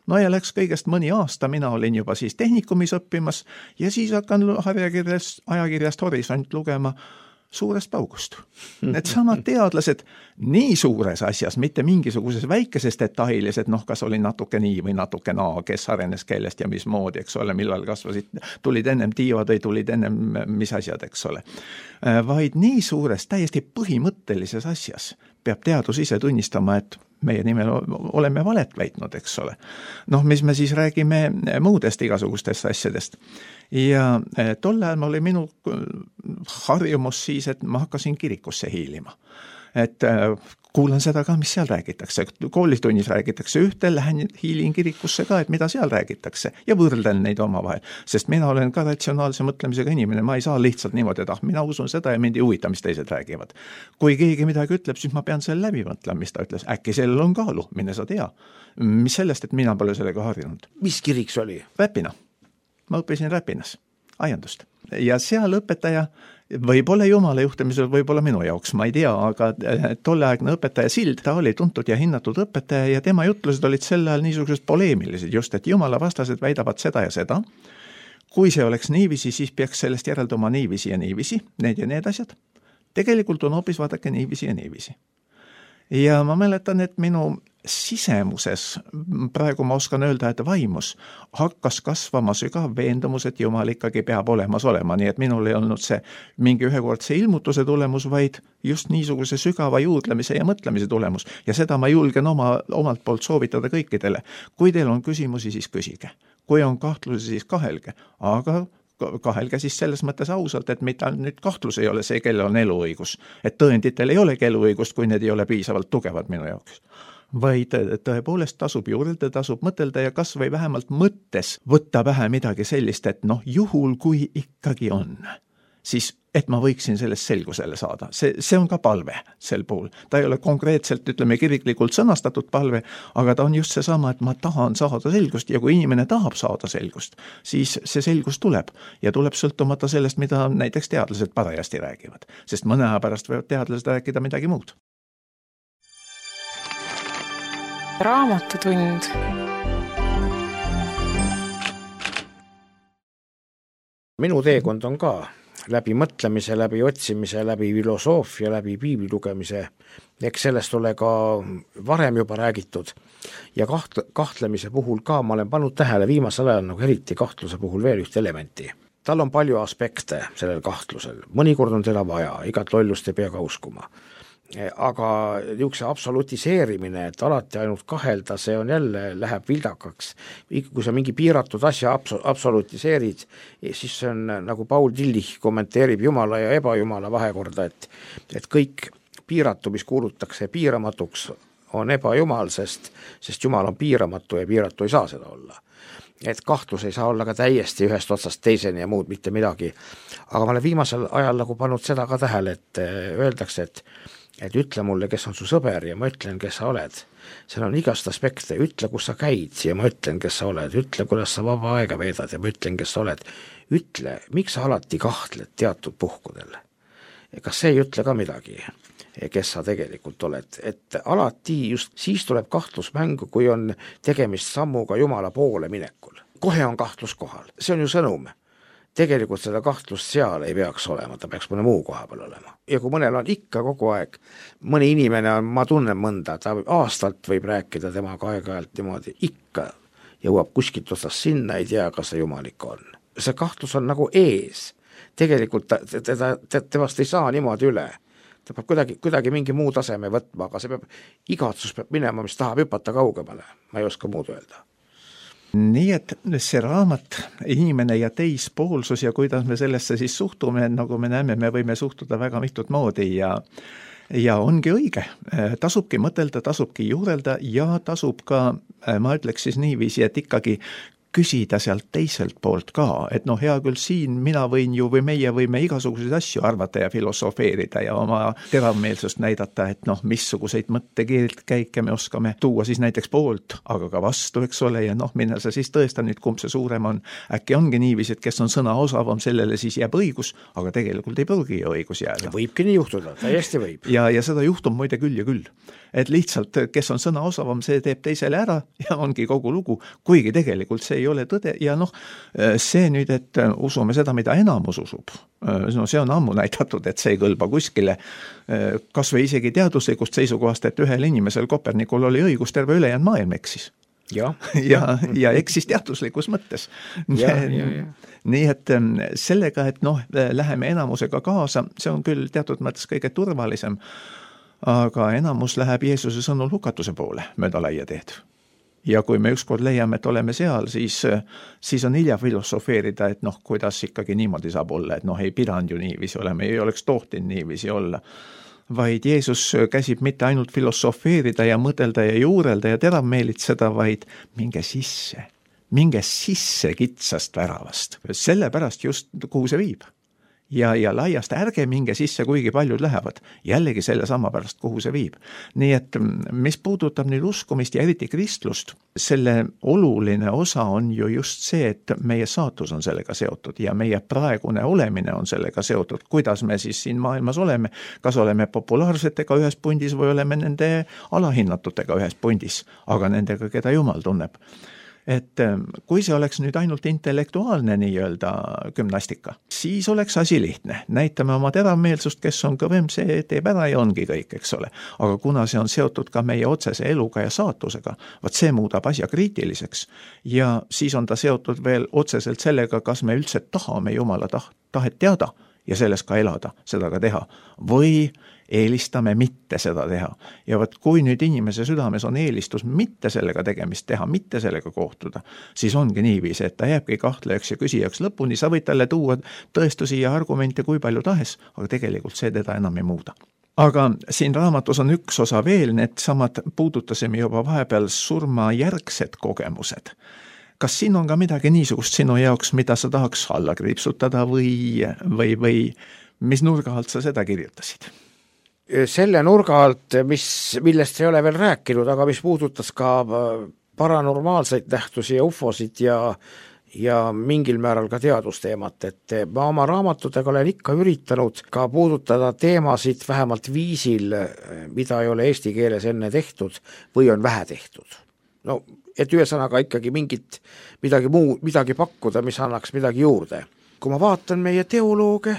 No ja läks kõigest mõni aasta, mina olin juba siis tehnikumis õppimas ja siis hakkan ajakirjast Horisont lugema suurest paugust. Need samad teadlased nii suures asjas, mitte mingisuguses väikeses detailis, et kas oli natuke nii või natuke naa, kes arenes kellest ja mismoodi, eks ole, millal kasvasid, tulid ennem tiivad või tulid ennem mis asjad, eks ole. Vaid nii suures, täiesti põhimõttelises asjas peab teadus ise tunnistama, et meie nimel oleme valet väitnud, eks ole. Mis me siis räägime muudest igasugustest asjadest. Ja tol ajal oli minu harjumus siis, et ma hakkasin kirikusse hiilima. Et kuulan seda ka, mis seal räägitakse. Koolitunnis räägitakse ühte, lähen hiilin kirikusse ka, et mida seal räägitakse ja võrdlen neid omavahel. Sest mina olen ka ratsionaalse mõtlemisega inimene, ma ei saa lihtsalt niimoodi, et mina usun seda ja mind ei huvita, mis teised räägivad. Kui keegi midagi ütleb, siis ma pean selle läbi mõtlema, mis ta ütles. Äkki sellel on kaalu, mine sa tea. Mis sellest, et mina pole sellega harjunud? Mis kirik see oli? Räpina. Ma õppisin Räpinas, aiandust. Ja seal õpetaja võib-olla Jumala juhtimisel, võib-olla minu jaoks, ma ei tea, aga tolleaegne õpetaja Sild, ta oli tuntud ja hinnatud õpetaja ja tema jutlused olid sel ajal niisugused poleemilised, just et Jumala vastased väidavad seda ja seda. Kui see oleks niivisi, siis peaks sellest järelduma niivisi ja niivisi, need ja need asjad. Tegelikult on hoopis vaadake niivisi ja niivisi. Ja ma mäletan, et minu sisemuses, praegu ma oskan öelda, et vaimus, hakkas kasvama sügav veendumus, et Jumal ikkagi peab olemas olema, nii et minul ei olnud see mingi ühekordse ilmutuse tulemus, vaid just niisuguse sügava juurdlemise ja mõtlemise tulemus. Ja seda ma julgen omalt poolt soovitada kõikidele. Kui teil on küsimusi, siis küsige. Kui on kahtlusi, siis kahelge. Aga kahelge siis selles mõttes ausalt, et mitte nüüd kahtlus ei ole see, kellel on eluõigus. Et tõenditel ei olegi eluõigust, kui need ei ole piisavalt tugevad minu jaoks. Vaid tõepoolest tasub juurelda, tasub mõtelda ja kas või vähemalt mõttes võtta pähe midagi sellist, et juhul kui ikkagi on, siis et ma võiksin sellest selgusele saada. See on ka palve sel puhul. Ta ei ole konkreetselt, ütleme, kiriklikult sõnastatud palve, aga ta on just seesama, et ma tahan saada selgust ja kui inimene tahab saada selgust, siis see selgus tuleb ja tuleb sõltumata sellest, mida näiteks teadlased parajasti räägivad. Sest mõne aja pärast võivad teadlased rääkida midagi muud. Raamatutund. Minu teekond on ka läbi mõtlemise, läbi otsimise, läbi filosoofia, läbi piibli lugemise. Eks sellest ole ka varem juba räägitud ja kahtlemise puhul ka ma olen pannud tähele viimasel ajal nagu eriti kahtluse puhul veel ühte elementi. Tal on palju aspekte sellel kahtlusel, mõnikord on teda vaja, igat lollust ei pea ka uskuma. Aga niisuguse absolutiseerimine, et alati ainult kahelda, see on jälle, läheb vildakaks. Kui sa mingi piiratud asja absolutiseerid, siis see on nagu Paul Tillich kommenteerib Jumala ja ebajumala vahekorda, et kõik piiratu, mis kuulutakse piiramatuks, on ebajumal, sest Jumal on piiramatu ja piiratu ei saa seda olla. Et kahtlus ei saa olla ka täiesti ühest otsast teiseni ja muud mitte midagi. Aga ma olen viimasel ajal nagu pannud seda ka tähele, et öeldakse, et ütle mulle, kes on su sõber ja ma ütlen, kes sa oled. Seal on igast aspekte, ütle, kus sa käid ja ma ütlen, kes sa oled, ütle, kuidas sa vaba aega veedad ja ma ütlen, kes sa oled. Ütle, miks sa alati kahtled teatud puhkudel? Kas see ei ütle ka midagi, kes sa tegelikult oled? Et alati just siis tuleb kahtlus mängu, kui on tegemist sammuga Jumala poole minekul. Kohe on kahtlus kohal, see on ju sõnum. Tegelikult seda kahtlust seal ei peaks olema, ta peaks mõne muu koha peal olema. Ja kui mõnel on ikka kogu aeg, mõni inimene on, ma tunnen mõnda, ta aastalt võib rääkida temaga aeg-ajalt niimoodi, ikka jõuab kuskilt otsast sinna, ei tea, kas see jumalik on. See kahtlus on nagu ees. Tegelikult temast ei saa niimoodi üle. Ta peab kuidagi mingi muu taseme võtma, aga see peab, igatsus peab minema, mis tahab hüpata kaugemale. Ma ei oska muud öelda. Nii et see raamat, inimene ja teispoolsus ja kuidas me sellesse siis suhtume, nagu me näeme, me võime suhtuda väga mitut moodi ja ongi õige. Tasubki mõtelda, tasubki juurelda ja tasub ka, ma ütleks siis niiviisi, et ikkagi küsida sealt teiselt poolt ka, et hea küll siin mina võin ju või meie võime igasuguseid asju arvata ja filosofeerida ja oma teravmeelsust näidata, et missuguseid mõttekäike me oskame tuua siis näiteks poolt, aga ka vastu, eks ole, ja minna sa siis tõesta nüüd, kumb see suurem on. Äkki ongi niiviisi, et kes on sõna osavam, sellele siis jääb õigus, aga tegelikult ei pruugi õigus jääda. Võibki nii juhtuda, täiesti võib. Ja seda juhtub muide küll ja küll. Et lihtsalt, kes on sõna osavam, see teeb teisele ära ja ongi kogu lugu, kuigi tegelikult see ei ole tõde ja see nüüd, et usume seda, mida enamus usub, see on ammu näidatud, et see ei kõlba kuskile, kas või isegi teaduslikust seisukohast, et ühel inimesel Kopernikul oli õigus, terve ülejäänud maailm eksis. Ja eksis teaduslikus mõttes. Nii et sellega, et läheme enamusega kaasa, see on küll teatud mõttes kõige turvalisem, aga enamus läheb Jeesuse sõnul hukatuse poole mööda laia teed. Ja kui me ükskord leiame, et oleme seal, siis on hilja filosofeerida, et kuidas ikkagi niimoodi saab olla, et ei pidanud ju niiviisi olema, ei oleks tohtinud niiviisi olla. Vaid Jeesus käsib mitte ainult filosofeerida ja mõtelda ja juurelda ja teravmeelitseda, vaid minge sisse kitsast väravast. Sellepärast just, kuhu see viib. Ja laiast ärge minge sisse, kuigi paljud lähevad. Jällegi selle sama pärast, kuhu see viib. Nii et mis puudutab nüüd uskumist ja eriti kristlust, selle oluline osa on ju just see, et meie saatus on sellega seotud ja meie praegune olemine on sellega seotud. Kuidas me siis siin maailmas oleme? Kas oleme populaarsetega ühes pundis või oleme nende alahinnatutega ühes pundis, aga nendega, keda Jumal tunneb? Et kui see oleks nüüd ainult intellektuaalne nii-öelda gümnastika, siis oleks asi lihtne. Näitame oma teravmeelsust, kes on kõvem, see teeb ära ja ongi kõik, eks ole. Aga kuna see on seotud ka meie otsese eluga ja saatusega, vaat see muudab asja kriitiliseks ja siis on ta seotud veel otseselt sellega, kas me üldse tahame Jumala tahet teada ja selles ka elada, seda ka teha. Või eelistame mitte seda teha. Ja võt, kui nüüd inimese südames on eelistus mitte sellega tegemist teha, mitte sellega kohtuda, siis ongi niiviisi, et ta jääbki kahtlejaks ja küsijaks lõpuni, sa võid talle tuua tõestusi ja argumente kui palju tahes, aga tegelikult see teda enam ei muuda. Aga siin raamatus on üks osa veel, need samad puudutasime juba vahepeal surmajärgsed kogemused. Kas siin on ka midagi niisugust sinu jaoks, mida sa tahaks alla kriipsutada või mis nurga alt sa seda kirjutasid? Selle nurga alt, millest ei ole veel rääkinud, aga mis puudutas ka paranormaalseid nähtusi ja ufosid ja mingil määral ka teadusteemat, et ma oma raamatutega olen ikka üritanud ka puudutada teemasid vähemalt viisil, mida ei ole eesti keeles enne tehtud või on vähe tehtud. No, et ühesõnaga ikkagi midagi pakkuda, mis annaks midagi juurde. Kui ma vaatan meie teolooge,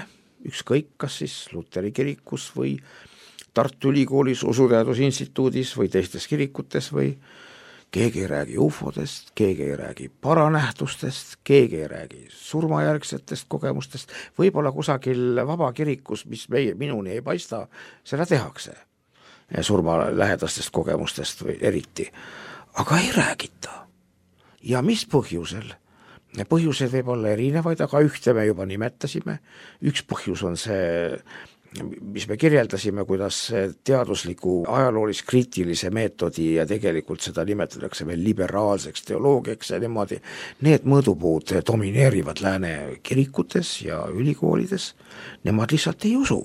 ükskõik kas siis Luteri kirikus või Tartu Ülikoolis, Usuteadusinstituudis või teistes kirikutes või keegi ei räägi ufodest, keegi ei räägi paranähtustest, keegi ei räägi surmajärgsetest kogemustest, võib-olla kusagil vabakirikus, mis minuni ei paista, seda tehakse surma lähedastest kogemustest või eriti, aga ei räägita. Ja mis põhjusel? Põhjused võib olla erinevaid, aga ühte me juba nimetasime. Üks põhjus on see, mis me kirjeldasime, kuidas teadusliku ajaloolis-kriitilise meetodi ja tegelikult seda nimetatakse veel liberaalseks teoloogiaks ja niimoodi, need mõõdupuud domineerivad lääne kirikutes ja ülikoolides, nemad lihtsalt ei usu.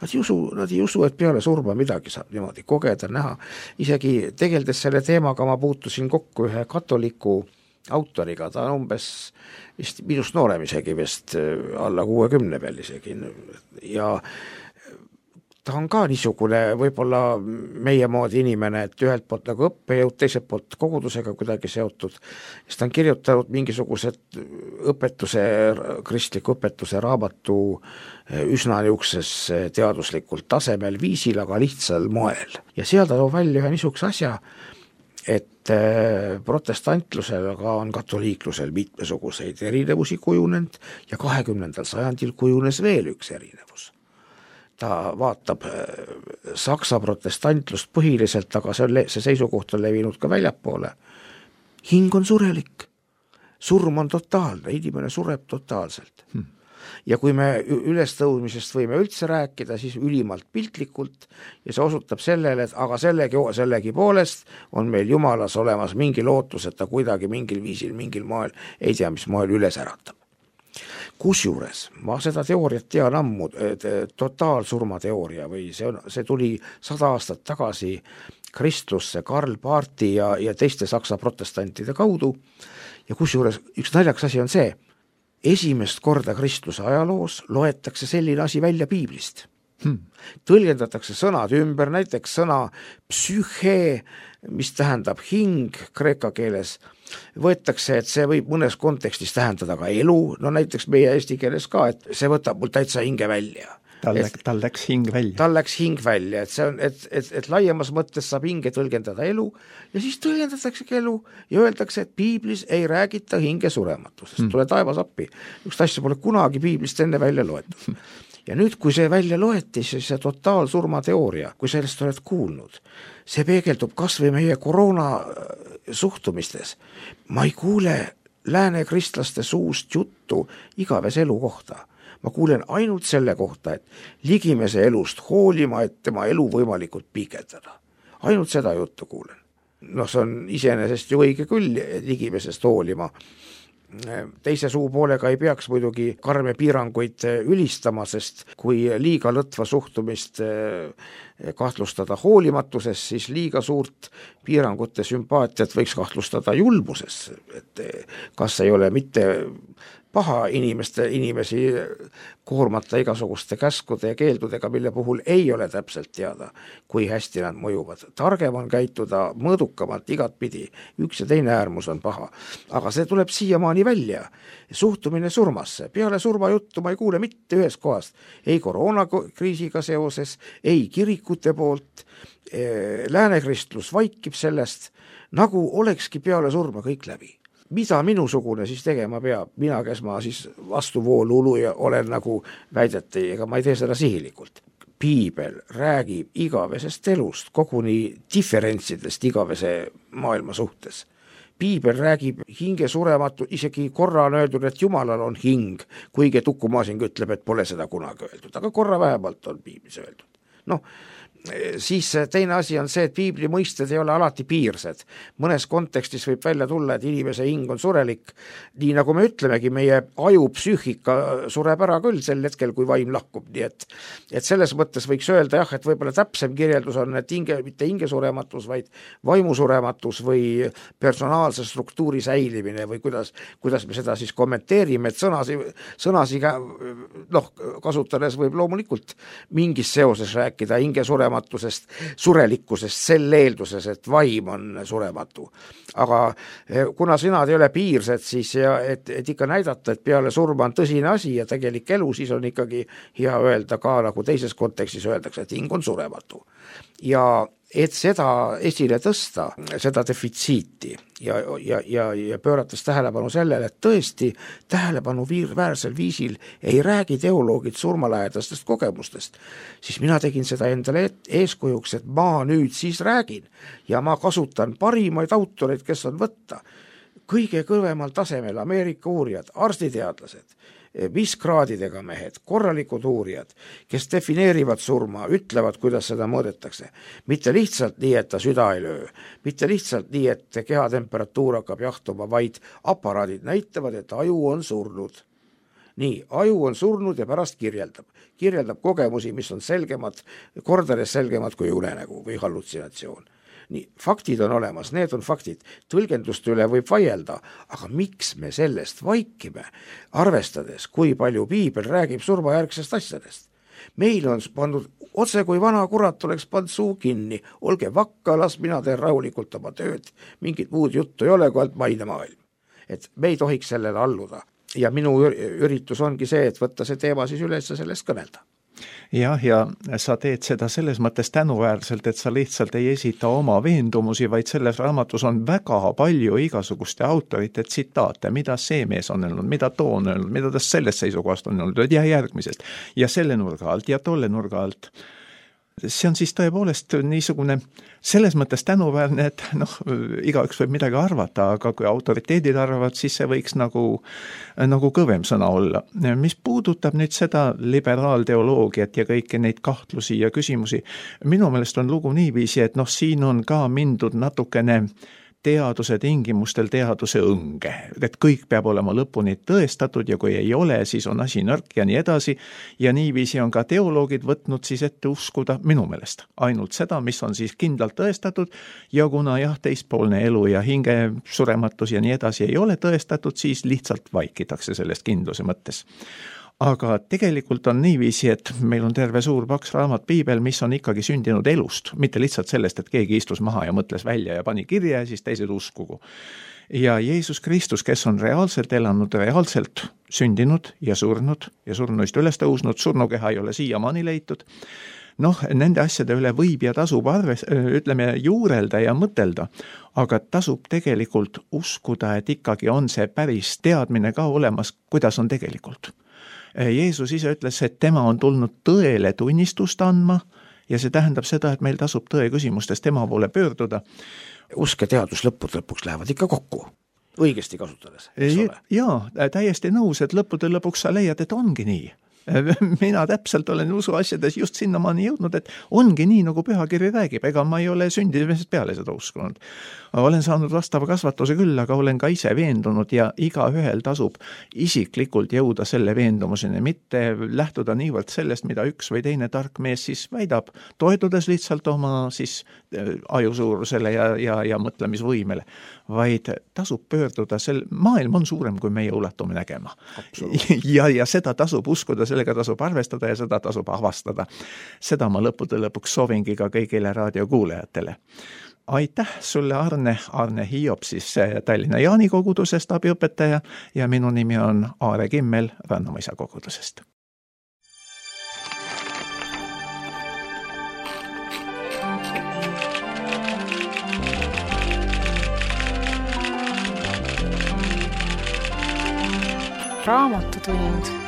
Nad ei usu, et peale surma midagi saab niimoodi kogeda, näha. Isegi tegeldes selle teemaga ma puutusin kokku ühe katoliku autoriga, ta on umbes minust noorem isegi vist alla 60 veel isegi ja ta on ka niisugune võib-olla meie moodi inimene, et ühelt poolt nagu õppejõud, teiselt poolt kogudusega kuidagi seotud, siis ta on kirjutanud mingisugused kristliku õpetuse raamatu üsna niukses teaduslikult tasemel viisil, aga lihtsal moel. Ja seal ta toob välja ühe niisuguse asja, et protestantlusel aga on katoliiklusel mitmesuguseid erinevusi kujunenud ja 20. sajandil kujunes veel üks erinevus. Ta vaatab Saksa protestantlust põhiliselt, aga see seisukoht on levinud ka väljapoole. Hing on surelik, surm on totaalne, inimene sureb totaalselt. Ja kui me ülestõudmisest võime üldse rääkida, siis ülimalt piltlikult ja see osutab sellele, et aga sellegi poolest on meil Jumalas olemas mingi lootus, et ta kuidagi mingil viisil, mingil moel, ei tea mis moel üles äratab. Kusjuures ma seda teooriat tean ammu, totaalsurma teooria või see tuli 100 aastat tagasi kristlusse Karl Barthi ja teiste saksa protestantide kaudu ja kusjuures üks naljakas asi on see, esimest korda kristluse ajaloos loetakse selline asi välja piiblist. Tõlgendatakse sõnad ümber, näiteks sõna psühhe, mis tähendab hing kreeka keeles, võetakse, et see võib mõnes kontekstis tähendada ka elu, no näiteks meie eesti keeles ka, et see võtab mul täitsa hinge välja. Tal läks hing välja. Tal läks hing välja, et see on, et laiemas mõttes saab hinge tõlgendada elu ja siis tõlgendataksegi elu ja öeldakse, et piiblis ei räägita hinge surematusest. Tule taevas appi. Üks asja pole kunagi piiblist enne välja loetud. Ja nüüd, kui see välja loeti, siis see totaalsurma teooria, kui sellest oled kuulnud, see peegeldub kas või meie koroona suhtumistes. Ma ei kuule lääne kristlaste suust juttu igaves elu kohta. Ma kuulen ainult selle kohta, et ligimese elust hoolima, et tema elu võimalikult pikendada. Ainult seda juttu kuulen. No see on iseenesest ju õige küll ligimesest hoolima. Teise suupoolega ei peaks muidugi karme piiranguid ülistama, sest kui liiga lõtva suhtumist kahtlustada hoolimatusest, siis liiga suurt piirangute sümpaatiat võiks kahtlustada julmuses, et kas ei ole mitte paha inimesi koormata igasuguste käskude ja keeldudega, mille puhul ei ole täpselt teada, kui hästi nad mõjuvad. Targem on käituda mõõdukamalt igatpidi, üks ja teine äärmus on paha, aga see tuleb siiamaani välja. Suhtumine surmasse, peale surmajuttu ma ei kuule mitte ühes kohast, ei koroonakriisiga seoses, ei kirikute poolt, läänekristlus vaikib sellest, nagu olekski peale surma kõik läbi. mida minusugune siis tegema peab, mina, kes ma siis vastuvoolu uluja olen, nagu väideti, ega ma ei tee seda sihilikult. Piibel räägib igavesest elust, koguni diferentsidest igavese maailma suhtes. Piibel räägib hinge surematu, isegi korra on öeldud, et Jumalal on hing, kuigi Tukumaasing ütleb, et pole seda kunagi öeldud, aga korra vähemalt on Piiblis öeldud. Noh, siis teine asi on see, et piibli mõisted ei ole alati piirsed. Mõnes kontekstis võib välja tulla, et inimese hing on surelik, nii nagu me ütlemegi, meie aju psüühika sureb ära küll sel hetkel, kui vaim lahkub, nii et selles mõttes võiks öelda jah, et võib-olla täpsem kirjeldus on, et mitte hinge surematus, vaid vaimu surematus või personaalse struktuuri säilimine või kuidas me seda siis kommenteerime, et sõnasiga kasutades võib loomulikult mingis seoses rääkida hinge surelikkusest sel eelduses, et vaim on surematu. Aga kuna sõnad ei ole piirsed, siis et ikka näidata, et peale surma on tõsine asi ja tegelik elu, siis on ikkagi hea öelda ka, nagu teises kontekstis öeldakse, et hing on surematu. Ja et seda esile tõsta, seda defitsiiti ja pöörates tähelepanu sellele, et tõesti tähelepanu väärsel viisil ei räägi teoloogid surmalähedastest kogemustest, siis mina tegin seda endale eeskujuks, et ma nüüd siis räägin ja ma kasutan parimaid autoreid, kes on võtta. Kõige kõvemal tasemel Ameerika uurijad, arstiteadlased, viskraadidega mehed, korralikud uurijad, kes defineerivad surma, ütlevad, kuidas seda mõõdetakse. Mitte lihtsalt nii, et ta süda ei löö, mitte lihtsalt nii, et kehatemperatuur hakkab jahtuma, vaid aparaadid näitavad, et aju on surnud. Nii, aju on surnud ja pärast kirjeldab kogemusi, mis on selgemad, kordades selgemad kui unenägu või hallutsinatsioon. Nii, faktid on olemas, need on faktid, tõlgenduste üle võib vaielda, aga miks me sellest vaikime, arvestades, kui palju piibel räägib surmajärgsest asjadest? Meil on pandud otse, kui vana kurat oleks pannud suu kinni, olge vakka, las mina teen rahulikult oma tööd, mingit muud juttu ei ole, kui alt maine maailm. Et me ei tohiks sellele alluda ja minu üritus ongi see, et võtta see teema siis üles ja sellest kõnelda. Jah, ja sa teed seda selles mõttes tänuväärselt, et sa lihtsalt ei esita oma veendumusi, vaid selles raamatus on väga palju igasuguste autorite tsitaate, mida see mees on öelnud, mida too on öelnud, mida ta sellest seisukohast on öelnud ja järgmisest ja selle nurga alt ja tolle nurga alt. See on siis tõepoolest niisugune selles mõttes tänuväärne, et igaüks võib midagi arvata, aga kui autoriteedid arvavad, siis see võiks nagu kõvem sõna olla. Mis puudutab nüüd seda liberaalteoloogiat ja kõiki neid kahtlusi ja küsimusi, minu meelest on lugu niiviisi, et siin on ka mindud natukene teaduse tingimustel teaduse õnge, et kõik peab olema lõpuni tõestatud ja kui ei ole, siis on asi nõrk ja nii edasi ja niiviisi on ka teoloogid võtnud siis ette uskuda minu meelest ainult seda, mis on siis kindlalt tõestatud ja kuna teispoolne elu ja hinge surematus ja nii edasi ei ole tõestatud, siis lihtsalt vaikitakse sellest kindluse mõttes. Aga tegelikult on niiviisi, et meil on terve suur paks raamat piibel, mis on ikkagi sündinud elust, mitte lihtsalt sellest, et keegi istus maha ja mõtles välja ja pani kirja ja siis teised uskugu. Ja Jeesus Kristus, kes on reaalselt elanud, reaalselt sündinud ja surnuist üles tõusnud, surnukeha ei ole siiamaani leitud, nende asjade üle võib ja tasub juurelda ja mõtelda, aga tasub tegelikult uskuda, et ikkagi on see päris teadmine ka olemas, kuidas on tegelikult. Jeesus ise ütles, et tema on tulnud tõele tunnistust andma ja see tähendab seda, et meil tasub tõe küsimustes tema poole pöörduda. Usk ja teadus lõpuks lähevad ikka kokku, õigesti kasutades, eks ole? Jaa, täiesti nõus, et lõppude lõpuks sa leiad, et ongi nii. Mina täpselt olen usuasjades just sinnamaani jõudnud, et ongi nii, nagu pühakiri räägib, ega ma ei ole sündimist peale seda uskunud. Olen saanud vastava kasvatuse küll, aga olen ka ise veendunud ja igaühel tasub isiklikult jõuda selle veendumuseni, mitte lähtuda niivõrd sellest, mida üks või teine tark mees siis väidab, toetudes lihtsalt oma siis ajusuurusele ja mõtlemisvõimele, vaid tasub pöörduda, maailm on suurem, kui meie ulatume nägema. Ja seda tasub uskuda, sellega tasub arvestada ja seda tasub avastada. Seda ma lõppude lõpuks soovingi ka kõigile raadiokuulajatele. Aitäh sulle, Arne Hiop, siis Tallinna Jaani kogudusest abiõpetaja ja minu nimi on Aare Kimmel Rannamõisa kogudusest. Raamatutund